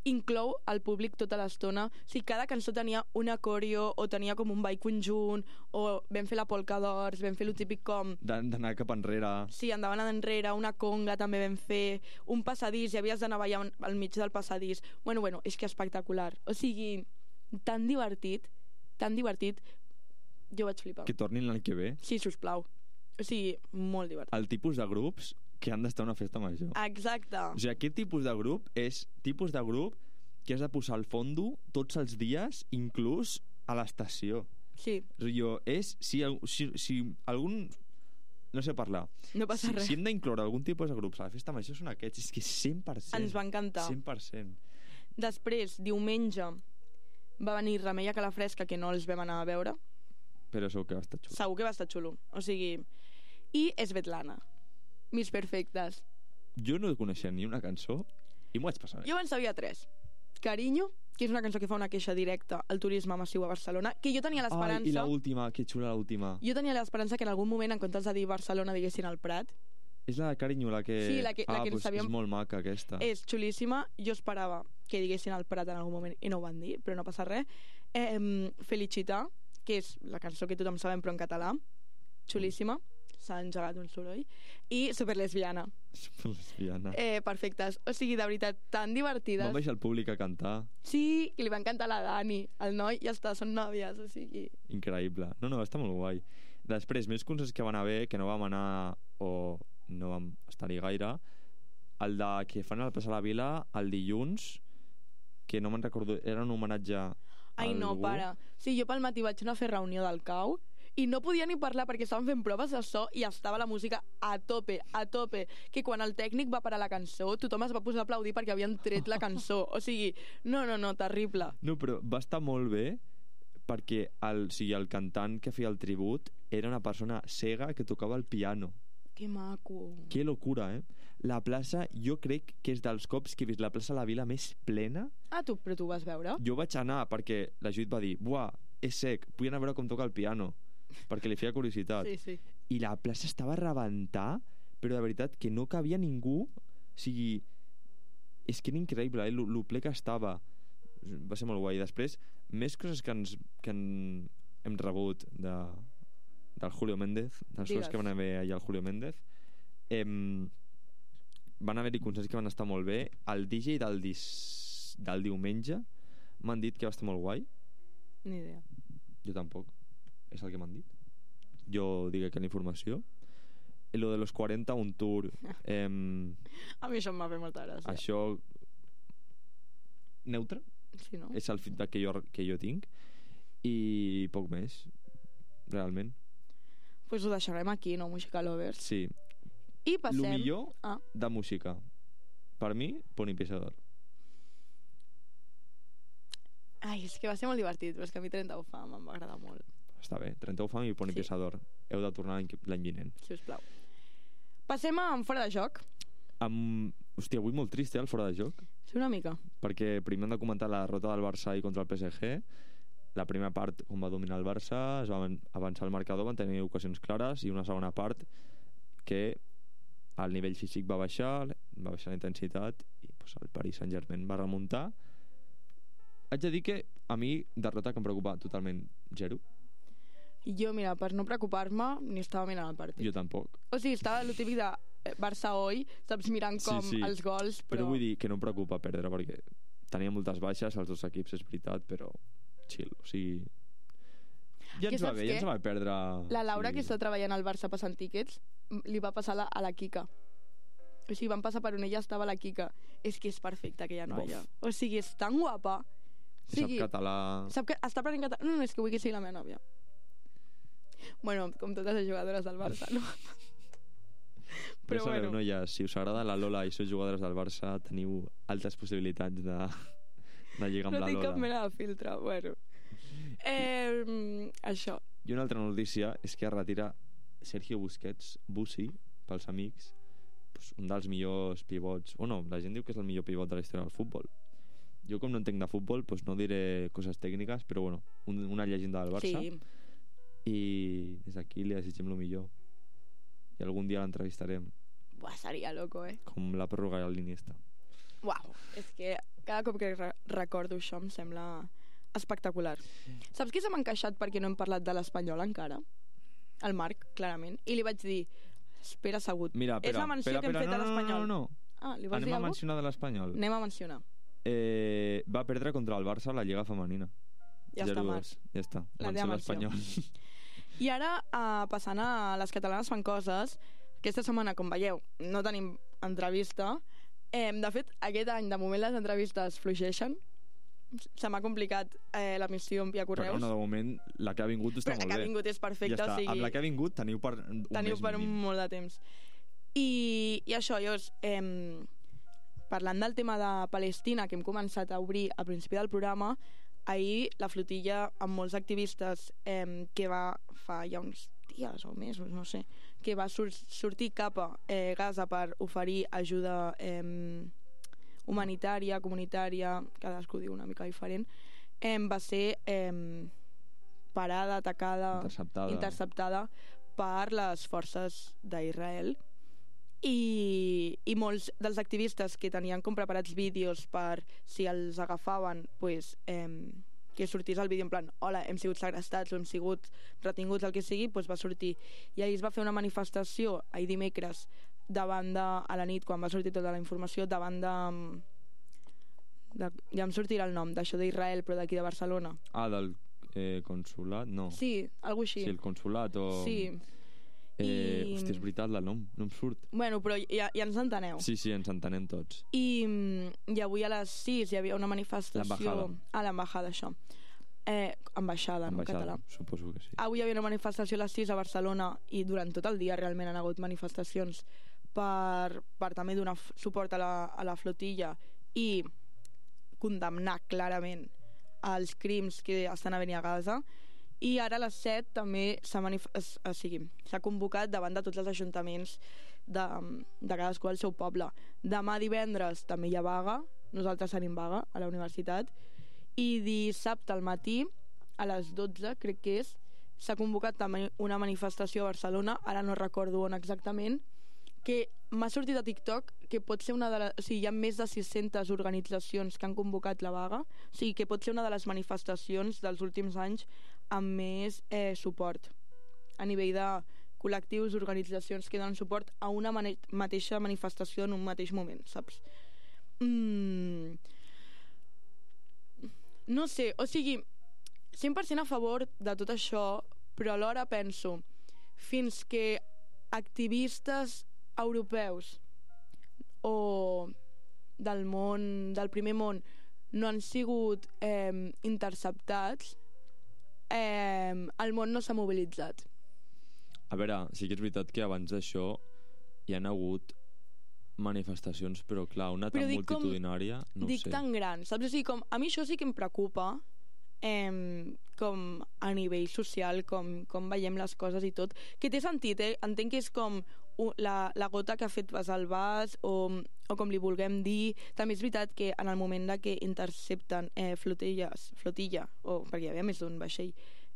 inclou el públic tota l'estona. O sigui, cada cançó tenia una coreo o tenia com un ball conjunt o vam fer la polca d'ors, vam fer el típic com... D'anar cap enrere. Sí, andaven enrere, una conga també vam fer, un passadís, i havies d'anar ballant al mig del passadís. Bueno, és que espectacular. O sigui, tan divertit, jo vaig flipar. Que tornin l'any que ve. Sí, sisplau. O sigui, molt divertit. El tipus de grups que han d'estar a una festa major. Exacte. O sigui, aquest tipus de grup és tipus de grup que has de posar al fondo tots els dies, inclús a l'estació. Sí. Si algun... No sé parlar. No passa res. Si hem d'incloure algun tipus de grups a la festa major són aquests. És que 100%. Ens va encantar. 100%. Després, diumenge, va venir Remei a Calafresca, que no els vam anar a veure. Però segur que va estar xulo. Segur que va estar xulo. O sigui... I Svetlana. Mis perfectes. Jo no coneixia ni una cançó i m'ho vaig passar bé. Jo en sabia 3. Cariño, que és una cançó que fa una queixa directa al turisme massiu a Barcelona, que jo tenia l'esperança... I l'última, que xula l'última. Jo tenia l'esperança que en algun moment, en comptes de dir Barcelona, diguessin el Prat. És la de Carinyo, la que... Sí, la que pues sabíem... és molt maca, aquesta. És xulíssima. Jo esperava que diguessin el Prat en algun moment i no ho van dir, però no passa res. Felicita, que és la cançó que tothom sabem però en català. Xulíssima. S'ha engegat un soroll. I Superlesbiana. Superlesbiana. Perfectes. O sigui, de veritat, tan divertides. Van baixar el públic a cantar. Sí, i li va encantar la Dani. El noi ja està, són nòvies, o sigui... Increïble. No, està molt guai. Després, més concerts que van haver, que no vam anar o no vam estar-hi gaire, el de que fan al Plaça la Vila el dilluns, que no me'n recordo, era un homenatge a Ai, no, algú. para. Sí, jo pel matí vaig anar a fer reunió del CAU i no podia ni parlar perquè estaven fent proves de so i estava la música a tope, que quan el tècnic va parar la cançó tothom es va posar a aplaudir perquè havien tret la cançó. O sigui, no, terrible. No, però va estar molt bé perquè el cantant que feia el tribut era una persona cega que tocava el piano. Que maco. Que locura, eh? La plaça, jo crec que és dels cops que he vist la plaça de la Vila més plena. Ah, però tu vas veure? Jo vaig anar perquè la Judit va dir buah, és sec, vull anar a veure com toca el piano, perquè li feia curiositat. Sí. I la plaça estava a rebentar, però de veritat que no cabia ningú. O sigui, és que era increïble, lo ple que estava. Va ser molt guai. Després, més coses que hem rebut del Julio Méndez, dels coses que van haver allà al Julio Méndez. Van haver-hi concerts que van estar molt bé. El DJ del diumenge m'han dit que va estar molt guai. Ni idea. Jo tampoc. És el que m'han dit. Jo digué que la informació. I lo de los 40, un tour. A mi això em va fer molta gràcia. Això... neutre? Sí, no? És el feedback que jo tinc. I poc més, realment. Pues ho deixarem aquí, no? Música Lovers. Sí. I passem... Lo millor de música. Per mi, Pony Pisador. Ai, és que va ser molt divertit, però és que a mi 30 ho fa, em va agradar molt. Està bé, 30 ho fa i Pony Pisador. Heu de tornar l'any vinent. Sisplau. Passem a Fora de Joc. Hòstia, avui molt trist, el Fora de Joc. Sí, una mica. Perquè primer hem de comentar la derrota del Barça i contra el PSG. La primera part, on va dominar el Barça, es va avançar el marcador, van tenir ocasions clares, i una segona part que el nivell físic va baixar la intensitat, i pues, el Paris Saint-Germain va remuntar. Haig de dir que a mi derrota que em preocupa totalment zero. Jo, mira, per no preocupar-me ni estava mirant el partit. Jo tampoc. O sigui, estava el típic de Barça-Oi, saps, mirant com els gols, però vull dir que no em preocupa perdre, perquè tenia moltes baixes els dos equips, és veritat, però chill, o sigui... Ja ens va bé, ja ens va perdre... La Laura, que està treballant al Barça passant tíquets, li va passar a la Kika. O sigui, van passar per on ella estava la Kika. És que és perfecta, aquella noia. O sigui, és tan guapa. O sigui, sap català... Està aprenent català. No, és que vull que sigui la meva nòvia. Bueno, com totes les jugadores del Barça, no? Però sabeu, noies, si us agrada la Lola i sou jugadores del Barça, teniu altes possibilitats de lligar amb la Lola. No tinc cap mena de filtre, bueno. Això. I una altra notícia és que es retira Sergio Busquets, Busi, pels amics, pues, un dels millors pivots, o no, la gent diu que és el millor pivot de la història del futbol. Jo, com no entenc de futbol, pues no diré coses tècniques, però bueno, una llegenda del Barça. Sí. I des d'aquí li desitgem el millor. I algun dia l'entrevistarem. Buah, seria loco, Com la pròrroga i l'Iniesta. Uau, és que cada cop que recordo això em sembla espectacular. Saps qui se m'ha encaixat perquè no hem parlat de l'Espanyol encara? El Marc, clarament. I li vaig dir, espera assegut. Mira, és la menció que hem fet a l'Espanyol. No. Ah, li vols dir Anem a alguna cosa? mencionar de l'Espanyol. Anem a mencionar. Va perdre contra el Barça a la Lliga Femenina. Ja està, 0-2. Marc. Ja està. La Menció teva a l'Espanyol. I ara, passant a les catalanes fan coses, aquesta setmana, com veieu, no tenim entrevista. De fet, aquest any, de moment, les entrevistes fluixeixen. Se m'ha complicat la missió enviar correus. Però no, de moment, la que ha vingut està molt bé. La que ha vingut és perfecta. Ja està. O sigui, amb la que ha vingut teniu per un mes mínim. molt de temps. I això, llavors, parlant del tema de Palestina, que hem començat a obrir al principi del programa, ahir la flotilla amb molts activistes que va fa ja uns dies o mesos, no sé, que va sortir cap a Gaza per oferir ajuda humanitària, comunitària, cadascú diu una mica diferent, va ser parada, atacada, interceptada per les forces d'Israel. I molts dels activistes que tenien com preparats vídeos per si els agafaven pues, que sortís el vídeo en plan hola, hem sigut segrestats o hem sigut retinguts, el que sigui, pues va sortir. I ahir es va fer una manifestació ahir dimecres davant de, a la nit, quan va sortir tota la informació, davant de ja em sortirà el nom d'això d'Israel, però d'aquí de Barcelona. Del consulat? No. Sí, alguna cosa així. Sí, el consulat o... Sí. Hòstia, és veritat, el nom no em surt. Bueno, però ja ens enteneu. Sí, ens entenem tots. I avui a les 6 hi havia una manifestació... L'ambaixada. L'ambaixada, això. Ambaixada, no en català. Suposo que sí. Avui hi havia una manifestació a les 6 a Barcelona i durant tot el dia realment han hagut manifestacions per també donar suport a la flotilla i condemnar clarament els crims que estan havent a Gaza. I ara a les 7 també s'ha convocat davant de tots els ajuntaments de cadascú del seu poble. Demà divendres també hi ha vaga, nosaltres tenim vaga a la universitat, i dissabte al matí a les 12, crec que és, s'ha convocat també una manifestació a Barcelona, ara no recordo on exactament, que m'ha sortit a TikTok que pot ser una de les... O sigui, hi ha més de 600 organitzacions que han convocat la vaga, o sigui, que pot ser una de les manifestacions dels últims anys amb més suport a nivell de col·lectius, organitzacions que donen suport a una mateixa manifestació en un mateix moment, saps? No sé, o sigui 100% a favor de tot això, però alhora penso fins que activistes europeus o del món, del primer món, no han sigut interceptats, el món no s'ha mobilitzat. A veure, sí que és veritat que abans d'això hi han hagut manifestacions, però clar, una tan multitudinària, no ho sé. Dic tan gran, saps? O sigui, a mi això sí que em preocupa, com a nivell social, com veiem les coses i tot, que té sentit, entenc que és com la gota que ha fet vessar el vas o com li vulguem dir. També és veritat que en el moment que intercepten flotilla, perquè hi havia més d'un vaixell,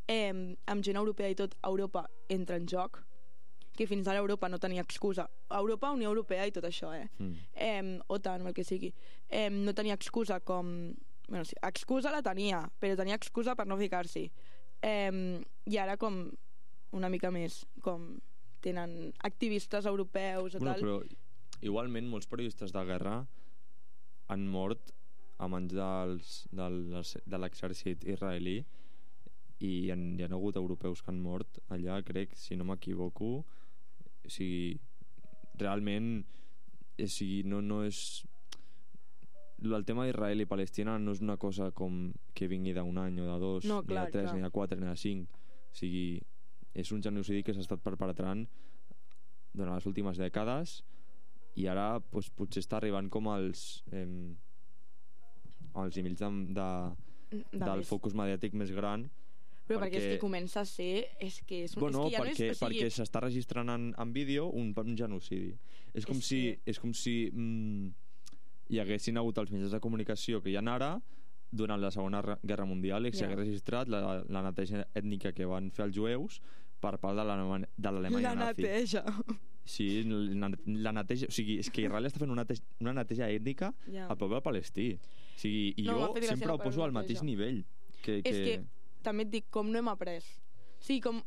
amb gent europea i tot, Europa entra en joc, que fins ara Europa no tenia excusa. Europa, Unió Europea i tot això, OTAN, el que sigui, no tenia excusa com... Bueno, sí, excusa la tenia, però tenia excusa per no ficar-s'hi. I ara com una mica més, com tenen activistes europeus o tal. Però igualment molts periodistes de guerra han mort a mans de l'exèrcit israelí i hi ha hagut europeus que han mort allà, crec, si no m'equivoco. O sigui, realment no és... El tema d'Israel i Palestina no és una cosa com que vingui d'un any o de dos, no, ni de 3, ni de 4, ni de 5. O sigui, és un genocidi que s'ha estat perpetrant durant les últimes dècades i ara potser està arribant com als nivells del focus mediàtic més gran. Però perquè és que comença a ser... Perquè s'està registrant en vídeo un genocidi. És com si hi haguessin hagut els mitjans de comunicació que hi ha ara durant la Segona Guerra Mundial i s'hagués registrat la neteja ètnica que van fer els jueus per part de l'Alemanya nazi. La neteja. Sí, la neteja... O sigui, és que Israel està fent una neteja ètnica al poble palestí. O sigui, i jo sempre ho poso al mateix nivell. És que també et dic, com no hem après. Sí, com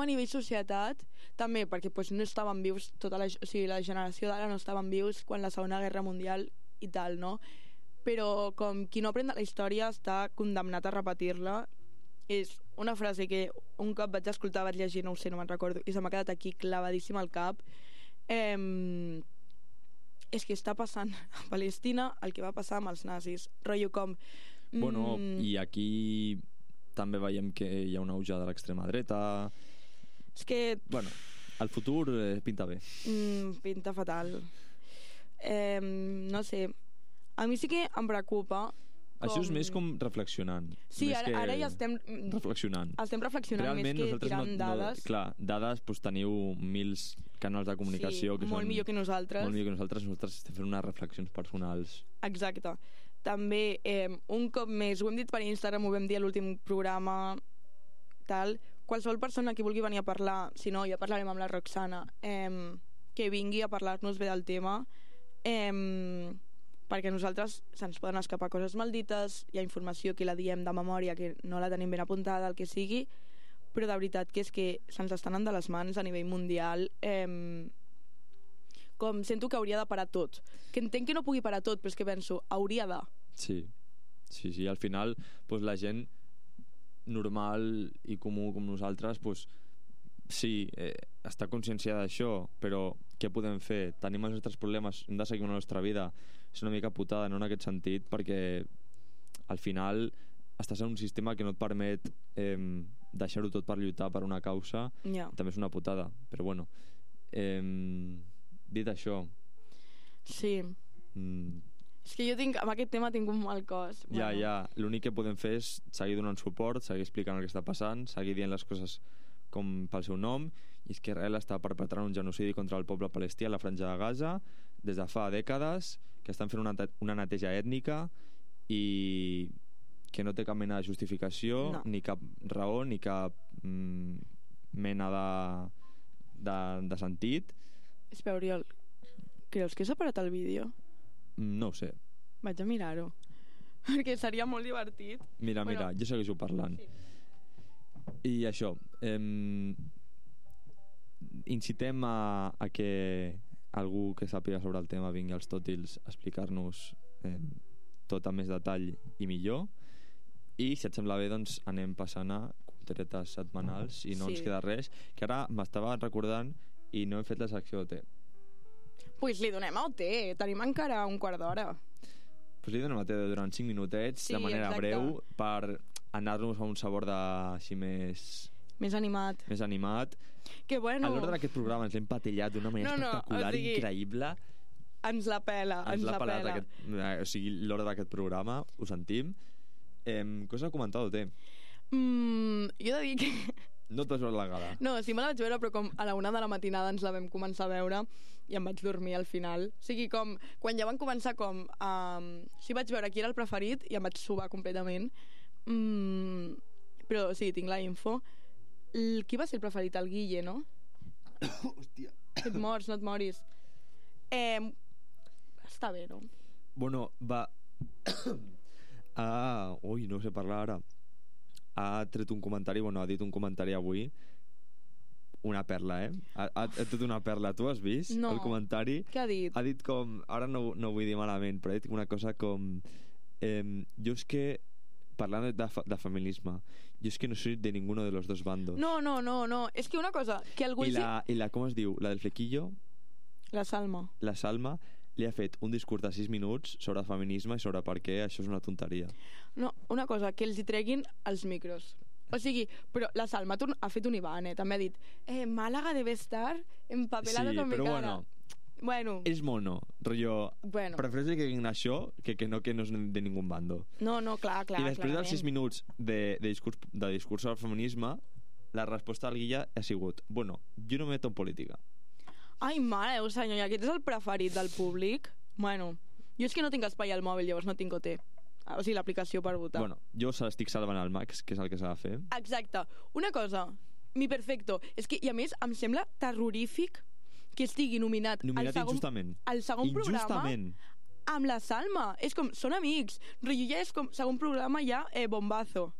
a nivell societat, també, perquè no estaven vius, la generació d'ara no estaven vius quan la Segona Guerra Mundial i tal, no? Però com qui no aprèn de la història està condemnat a repetir-la. És una frase que un cop vaig escoltar, vaig llegir, no ho sé, no me'n recordo, i se m'ha quedat aquí clavadíssim al cap. És que està passant a Palestina el que va passar amb els nazis. Rotllo com... Bueno, i aquí també veiem que hi ha una auge de l'extrema dreta. És que... Bueno, el futur pinta bé. Pinta fatal. No sé. A mi sí que em preocupa... Això és més com reflexionant. Sí, ara ja estem... Reflexionant. Estem reflexionant realment, més que tirant dades. Clar, dades, teniu mils canals de comunicació que molt són... millor que nosaltres. Molt millor que nosaltres. Nosaltres estem fent unes reflexions personals. Exacte. També, un cop més, ho hem dit per Instagram, ho vam dir a l'últim programa, tal, qualsevol persona que vulgui venir a parlar, si no, ja parlarem amb la Roxana, que vingui a parlar-nos bé del tema, perquè a nosaltres se'ns poden escapar coses maldites, hi ha informació que la diem de memòria, que no la tenim ben apuntada, el que sigui, però de veritat que és que se'ns estan anant de les mans a nivell mundial. Com sento que hauria de parar tot, que entenc que no pugui parar tot, però és que penso, hauria de. Sí, al final la gent normal i comú com nosaltres sí, està conscienciada d'això, però què podem fer? Tenim els nostres problemes, hem de seguir la nostra vida. És una mica putada, no, en aquest sentit, perquè al final estàs en un sistema que no et permet deixar-ho tot per lluitar per una causa. També és una putada, però bueno, dit això, sí, és que jo amb aquest tema tinc un mal cos. L'únic que podem fer és seguir donant suport, seguir explicant el que està passant, seguir dient les coses com pel seu nom, i és que Israel està perpetrant un genocidi contra el poble palestí a la Franja de Gaza des de fa dècades, que estan fent una neteja ètnica i que no té cap mena de justificació, ni cap raó, ni cap mena de sentit. Espera, Oriol, creus que s'ha parat el vídeo? No ho sé. Vaig a mirar-ho, perquè seria molt divertit. Mira, jo segueixo parlant. Sí. I això, incitem a que algú que sàpiga sobre el tema vingui als Tòtils a explicar-nos tot amb més detall i millor, i si et sembla bé doncs anem passant a conteretes setmanals i no ens queda res, que ara m'estava recordant i no hem fet la secció de té. Pues li donem el té, tenim encara un quart d'hora. Pues li donem el té durant 5 minutets, de manera breu, per anar-nos a un sabor així més animat. Que bueno... A l'hora d'aquest programa ens l'hem patellat d'una manera espectacular, increïble. Ens la pela. O sigui, l'hora d'aquest programa, ho sentim. Què us ha comentat el té? Jo he de dir que... No et vas veure la gala? No, sí me la vaig veure, però com a la 1 de la matinada ens la vam començar a veure i em vaig dormir al final. O sigui, com quan ja van començar sí, vaig veure qui era el preferit i em vaig subar completament. Però sí, tinc la info. Qui va ser el preferit? El Guille, no? Hòstia. Et mors, no et moris. Està bé, no? Bueno, va... Ui, no sé parlar ara. Ha tret un comentari, ha dit un comentari avui, una perla, ha tret una perla. Tu has vist el comentari? Què ha dit? Ha dit com, ara no vull dir malament, però ha dit una cosa com jo és que, parlant de feminisme, jo és que no soy de ninguno de los dos bandos. No, és que una cosa que algú... I la com es diu? La del flequillo? La Salma li ha fet un discurs de 6 minuts sobre feminisme i sobre per què això és una tonteria. No, una cosa, que els hi treguin els micros. O sigui, però la Salma ha fet un Iván, també ha dit Màlaga debe estar empapelada con mi cara. Bueno. És mono, rotllo. Prefereixo que diguin això que no és de ningú bando. No, clar. I després dels 6 minuts de discurs sobre feminisme, la resposta del Guilla ha sigut: bueno, jo no me meto en política. Ai, mare Déu senyor, i aquest és el preferit del públic? Bueno, jo és que no tinc espai al mòbil, llavors no tinc OT. O sigui, l'aplicació per votar. Bueno, jo se l'estic salvant al Max, que és el que s'ha de fer. Exacte. Una cosa, mi perfecto. És que, i a més, em sembla terrorífic que estigui nominat injustament. al segon programa amb la Salma. És com, són amics. Rotllo ja és com, segon programa ja, bombazo.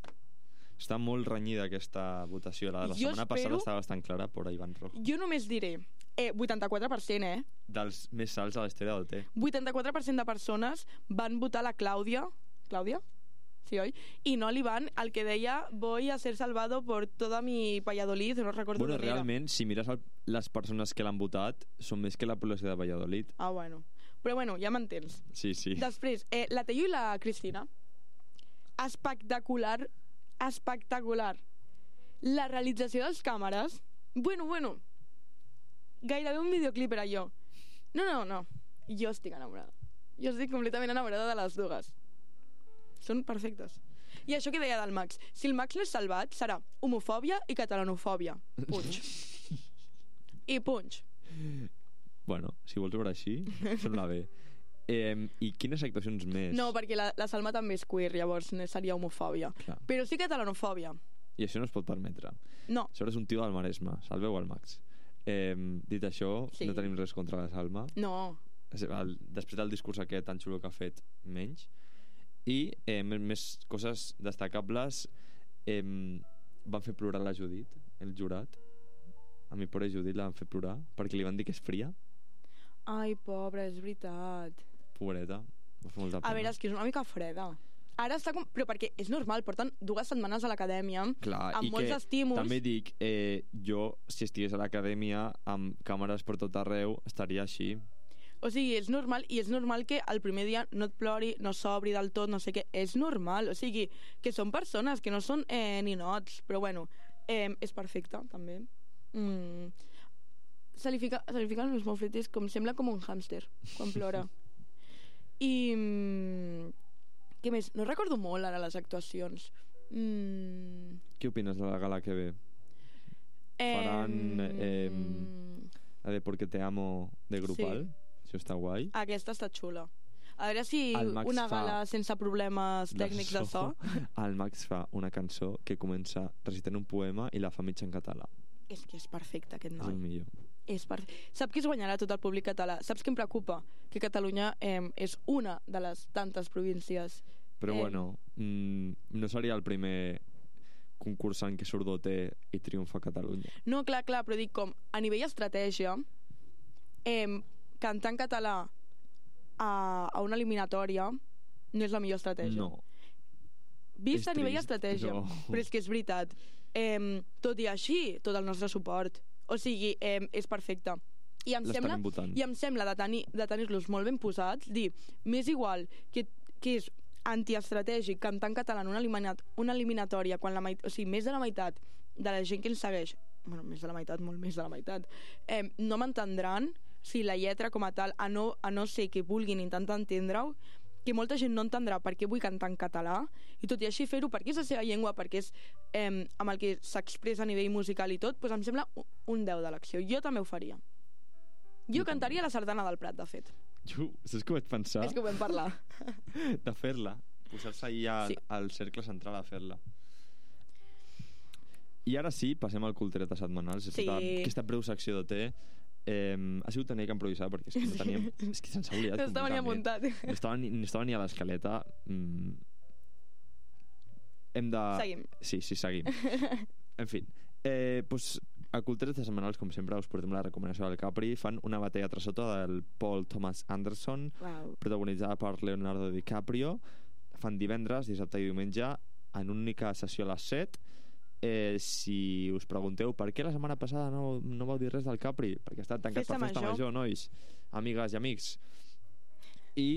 Està molt renyida aquesta votació. La setmana passada estava bastant clara per Iván Rojo. Jo només diré 84%, dels més alts a la història del T. 84% de persones van votar la Clàudia. ¿Clàudia? Sí, oi? I no l'Ivan, el que deia voy a ser salvado por toda mi Valladolid, no recordo bueno, realment, si mires les persones que l'han votat, són més que la població de Valladolid. Ah, bueno. Però bueno, ja m'entens. Sí, sí. Després, la Teio i la Cristina. Espectacular. Espectacular. La realització dels càmeres. Bueno. Gairebé un videoclip era jo. No. Jo estic enamorada. Jo estic completament enamorada de les dues. Són perfectes. I això que deia del Max. Si el Max l'és salvat, serà homofòbia i catalanofòbia. Punx. I punx. Bueno, si vols veure així, sembla bé. I quines actuacions més? No, perquè la Salma també és queer, llavors seria homofòbia. Clar. Però sí catalanofòbia. I això no es pot permetre. No. Això és un tio del Maresme. Salveu el Max. Dit això, sí. No tenim res contra la Salma. No. Després del discurs aquest tan xulo que ha fet, menys. I més coses destacables, van fer plorar la Judit, el jurat. A mi pobra Judit la van fer plorar perquè li van dir que és fria. Ai, pobra, és veritat. Pobreta, va fer molta pena. A veure, és que és una mica freda. Ara està com... Però perquè és normal, porten 2 setmanes a l'acadèmia. Clar, amb molts estímuls. També dic, jo, si estigués a l'acadèmia amb càmeres per tot arreu, estaria així. O sigui, és normal, i és normal que el primer dia no et plori, no s'obri del tot, no sé què. És normal, o sigui, que són persones, que no són ninots, però bueno, és perfecte, també. Se li fiquen els mofletes, com sembla com un hàmster, quan plora. I... què més? No recordo molt ara les actuacions. Què opines de la gala que ve? Faran la de Porque te amo de Grupal? Sí. Això està guai. Aquesta està xula. A veure si una gala sense problemes tècnics de so. El Max fa una cançó que comença recitant un poema i la fa mig en català. És que és perfecte, aquest noi. És el millor. Sap qui es guanyarà tot el públic català? Saps què em preocupa? Que Catalunya és una de les tantes províncies. Però bueno, no seria el primer concursant que surt d'OT i triomfa a Catalunya. No, clar, però dic com, a nivell estratègia, cantar en català a una eliminatòria no és la millor estratègia. No. Vist a nivell estratègia. No. Però és que és veritat. Tot i així, tot el nostre suport. O sigui, és perfecte. I em sembla de tenir-los molt ben posats, dir, m'és igual que és antiestratègic cantar en català en una eliminatòria quan més de la meitat de la gent que ens segueix, bueno, més de la meitat, molt més de la meitat, no m'entendran. Si la lletra com a tal, a no ser que vulguin intentar entendre-ho, que molta gent no entendrà per què vull cantar en català, i tot i així fer-ho perquè és la seva llengua, perquè és amb el que s'expressa a nivell musical i tot, doncs em sembla un 10 de l'acció. Jo també ho faria. Jo cantaria la sardana del Prat, de fet. Saps què vaig pensar? És que ho vam parlar. De fer-la. Posar-se allà al cercle central a fer-la. I ara sí, passem al cultureta setmanal. Sí. Aquesta breu secció de té. Ha sigut tenir que improvisar perquè és que no teníem... és que se'ns ha oblidat no estava ni amuntat. No estava ni a l'escaleta. Hem de... Seguim. Sí, seguim. En fi, doncs a culturetes setmanals, com sempre, us portem la recomanació del Capri. Fan una batalla traçota del Paul Thomas Anderson, protagonitzada per Leonardo DiCaprio. Fan divendres, dissabte i diumenge en una única sessió a les 7. Si us pregunteu per què la setmana passada no vau dir res del Capri, perquè ha estat tancat per festa major, nois, amigues i amics, i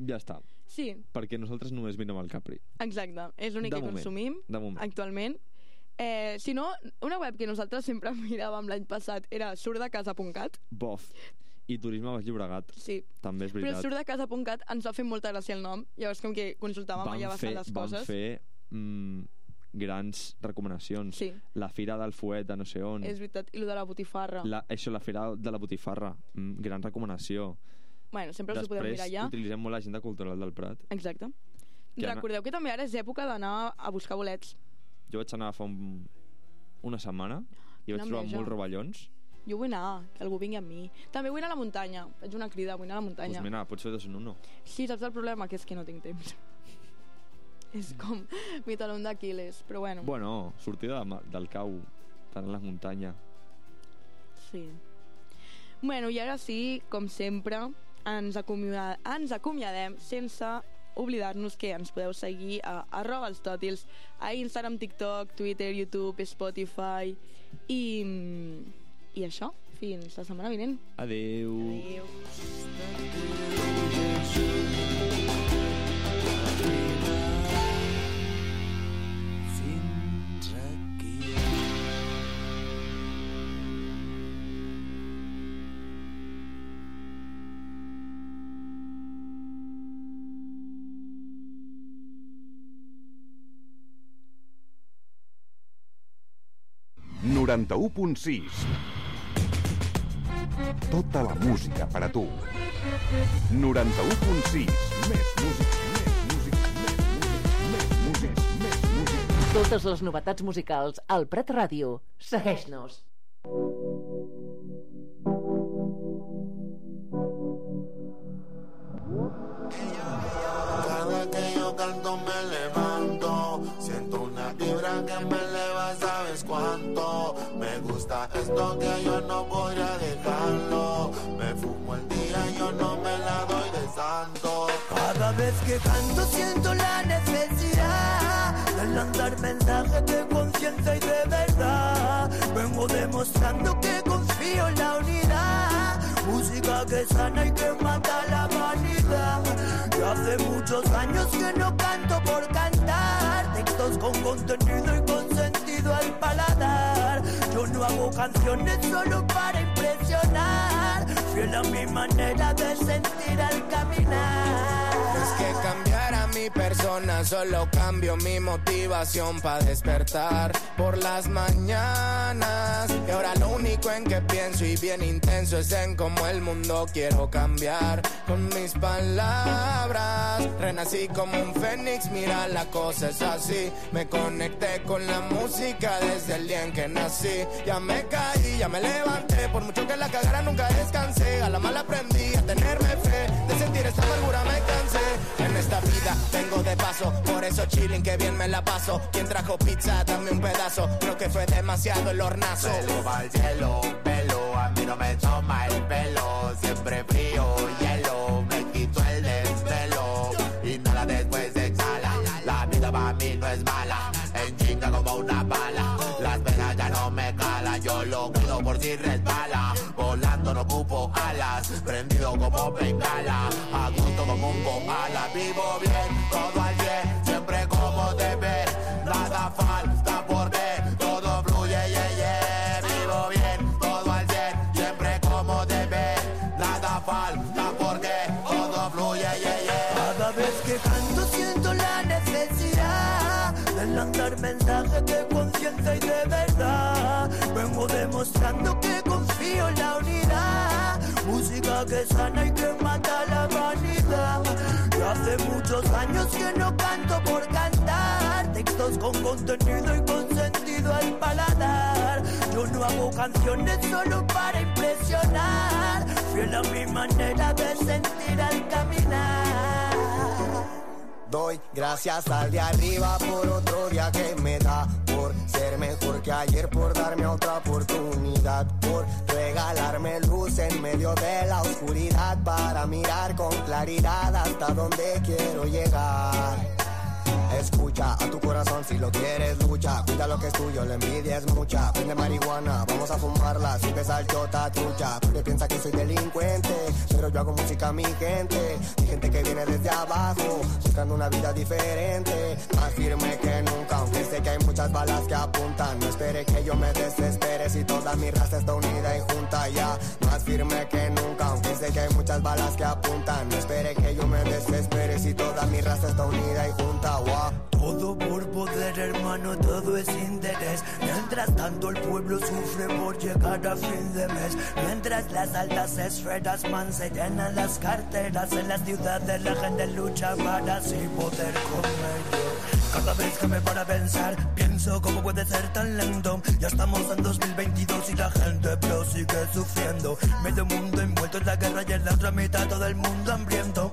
ja està. Sí. Perquè nosaltres només vinem al Capri. Exacte, és l'únic que consumim actualment. Si no, una web que nosaltres sempre miràvem l'any passat era surdecasa.cat. Bof. I Turisme Baix Llobregat. Sí. També és veritat. Però surdecasa.cat ens va fer molta gràcia el nom, llavors com que consultàvem allà bastant les coses. Van fer grans recomanacions. Sí. La Fira del Fuet de no sé on. És veritat, i lo de la botifarra. La Fira de la Botifarra. Gran recomanació. Bueno, sempre us ho podem mirar allà. Després utilitzem molt l'agenda cultural del Prat. Exacte. Recordeu que també ara és època d'anar a buscar bolets. Jo vaig anar fa una setmana i vaig trobar molts rovellons. Jo vull anar, que algú vingui amb mi. També vull anar a la muntanya. Faig una crida, vull anar a la muntanya. Pues mira, pots fer 2 en 1. Sí, saps el problema? Que és que no tinc temps. És com mi talón d'Aquiles, però bueno. Bueno, sortir del cau, tant a la muntanya. Sí. Bueno, i ara sí, com sempre, ens acomiadem sense oblidar-nos que ens podeu seguir a @elstòtils, a Instagram, TikTok, Twitter, YouTube, Spotify i això, fins la setmana vinent. Adeu. Adeu. Fins aquí. Tota la música per a tu. 91.6. Més música, més música, més música, més música. Totes les novetats musicals al Prat Ràdio. Segueix-nos. Cada que yo canto me levanto, siento una vibra que me eleva, ¿sabes cuánto? Me gusta esto que yo no podría dejarlo. Me fumo el día, yo no me la doy de santo. Cada vez que canto siento la necesidad de lanzar mensajes de conciencia y de verdad. Vengo demostrando que confío en la unidad. Música que sana y que mata la vanidad. Y hace muchos años que no canto por cantar. Textos con contenido y con sentido al paladar. Yo no hago canciones solo para impresionar. Fiel a mi manera de sentir al caminar. Es que cambiar a mi persona, solo cambio mi motivación para despertar por las mañanas. Y ahora lo único en que pienso y bien intenso es en cómo el mundo quiero cambiar. Con mis palabras renací como un fénix, mira la cosa es así. Me conecté con la música desde el día en que nací. Ya me caí, ya me levanté, por mucho que la cagara nunca descansé. A la mala aprendí a tenerme fe, de sentir esta amargura me cansé. En esta vida vengo de paso, por eso chilling que bien me la paso. Quien trajo pizza, dame un pedazo, creo que fue demasiado el hornazo. Pelo pa'l cielo, pelo, a mí no me toma el pelo. Siempre frío, hielo, me quito el desvelo. Y nada después se exhala, la vida para mí no es mala. En chinga como una bala, las penas ya no me calan. Yo lo cuido por si resbala, volando no ocupo alas. Prendido como bengala, a gusto como un koala. Vivo bien, todo al 100, siempre como debe. Nada falta porque todo fluye, yeah, yeah. Vivo bien, todo al 100, siempre como debe. Nada falta porque todo fluye, yeah, yeah. Cada vez que canto siento la necesidad de lanzar mensajes de conciencia y de verdad. Vengo demostrando que confío en la unidad. Música que sana y que mata la vanidad. Y hace muchos años que no canto por cantar. Textos con contenido y con sentido al paladar. Yo no hago canciones solo para impresionar. Fiel a mi manera de sentir al caminar. Doy gracias al de arriba por otro día que me da, por ser mejor que ayer, por darme otra oportunidad, por regalarme luz en medio de la oscuridad, para mirar con claridad hasta donde quiero llegar. Escucha a tu corazón si lo quieres, lucha. Cuida lo que es tuyo, la envidia es mucha. Prende marihuana, vamos a fumarla sin pesar chota trucha. Porque piensa que soy delincuente, pero yo hago música a mi gente. Mi gente que viene desde abajo, buscando una vida diferente. Más firme que nunca, aunque sé que hay muchas balas que apuntan. No espere que yo me desespere si toda mi raza está unida y junta ya. Más firme que nunca, aunque sé que hay muchas balas que apuntan. No espere que yo me desespere si toda mi raza está unida y junta, wow. Todo por poder, hermano, todo es interés. Mientras tanto el pueblo sufre por llegar a fin de mes. Mientras las altas esferas man se llenan las carteras. En las ciudades la gente lucha para así poder comer. Cada vez que me para a pensar, pienso cómo puede ser tan lento. Ya estamos en 2022 y la gente prosigue sufriendo. Medio mundo envuelto en la guerra y en la otra mitad todo el mundo hambriento.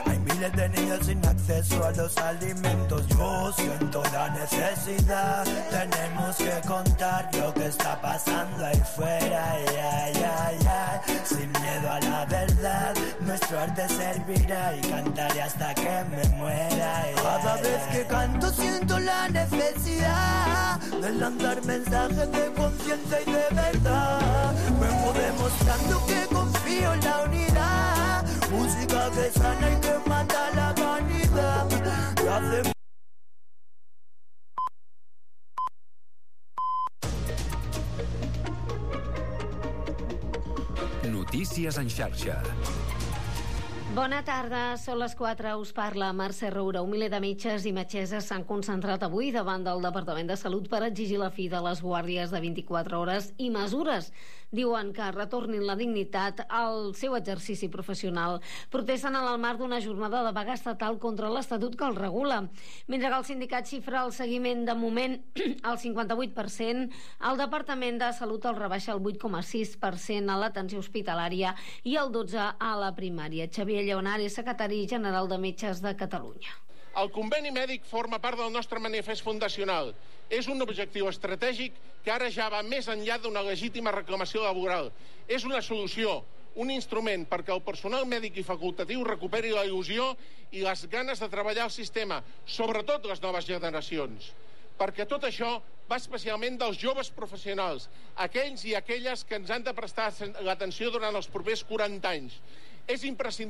Hay miles de niños sin acceso a los alimentos. Yo siento la necesidad. Tenemos que contar lo que está pasando ahí fuera. Ay, ay, ay, ay. Sin miedo a la verdad, nuestro arte servirá y cantaré hasta que me muera. Ay, cada vez que canto siento la necesidad de lanzar mensajes de conciencia y de verdad. Vengo demostrando que confío en la unidad. Música que sana y que mata la vanidad. Y hace... Notícies en xarxa. Bona tarda, són les 4, us parla Mercè Roura. Un miler de metges i metgesses s'han concentrat avui davant del Departament de Salut per exigir la fi de les guàrdies de 24 hores i mesures. Diuen que retornin la dignitat al seu exercici professional. Protesten en el marc d'una jornada de vaga estatal contra l'Estatut que el regula. Mentre que el sindicat xifra el seguiment de moment al 58%, el Departament de Salut el rebaixa al 8,6% a l'atenció hospitalària i el 12% a la primària. Xavier Lleonari, secretari general de Metges de Catalunya. El conveni mèdic forma part del nostre manifest fundacional. És un objectiu estratègic que ara ja va més enllà d'una legítima reclamació laboral. És una solució, un instrument perquè el personal mèdic i facultatiu recuperi la il·lusió i les ganes de treballar al sistema, sobretot les noves generacions. Perquè tot això va especialment dels joves professionals, aquells i aquelles que ens han de prestar l'atenció durant els propers 40 anys. És imprescindible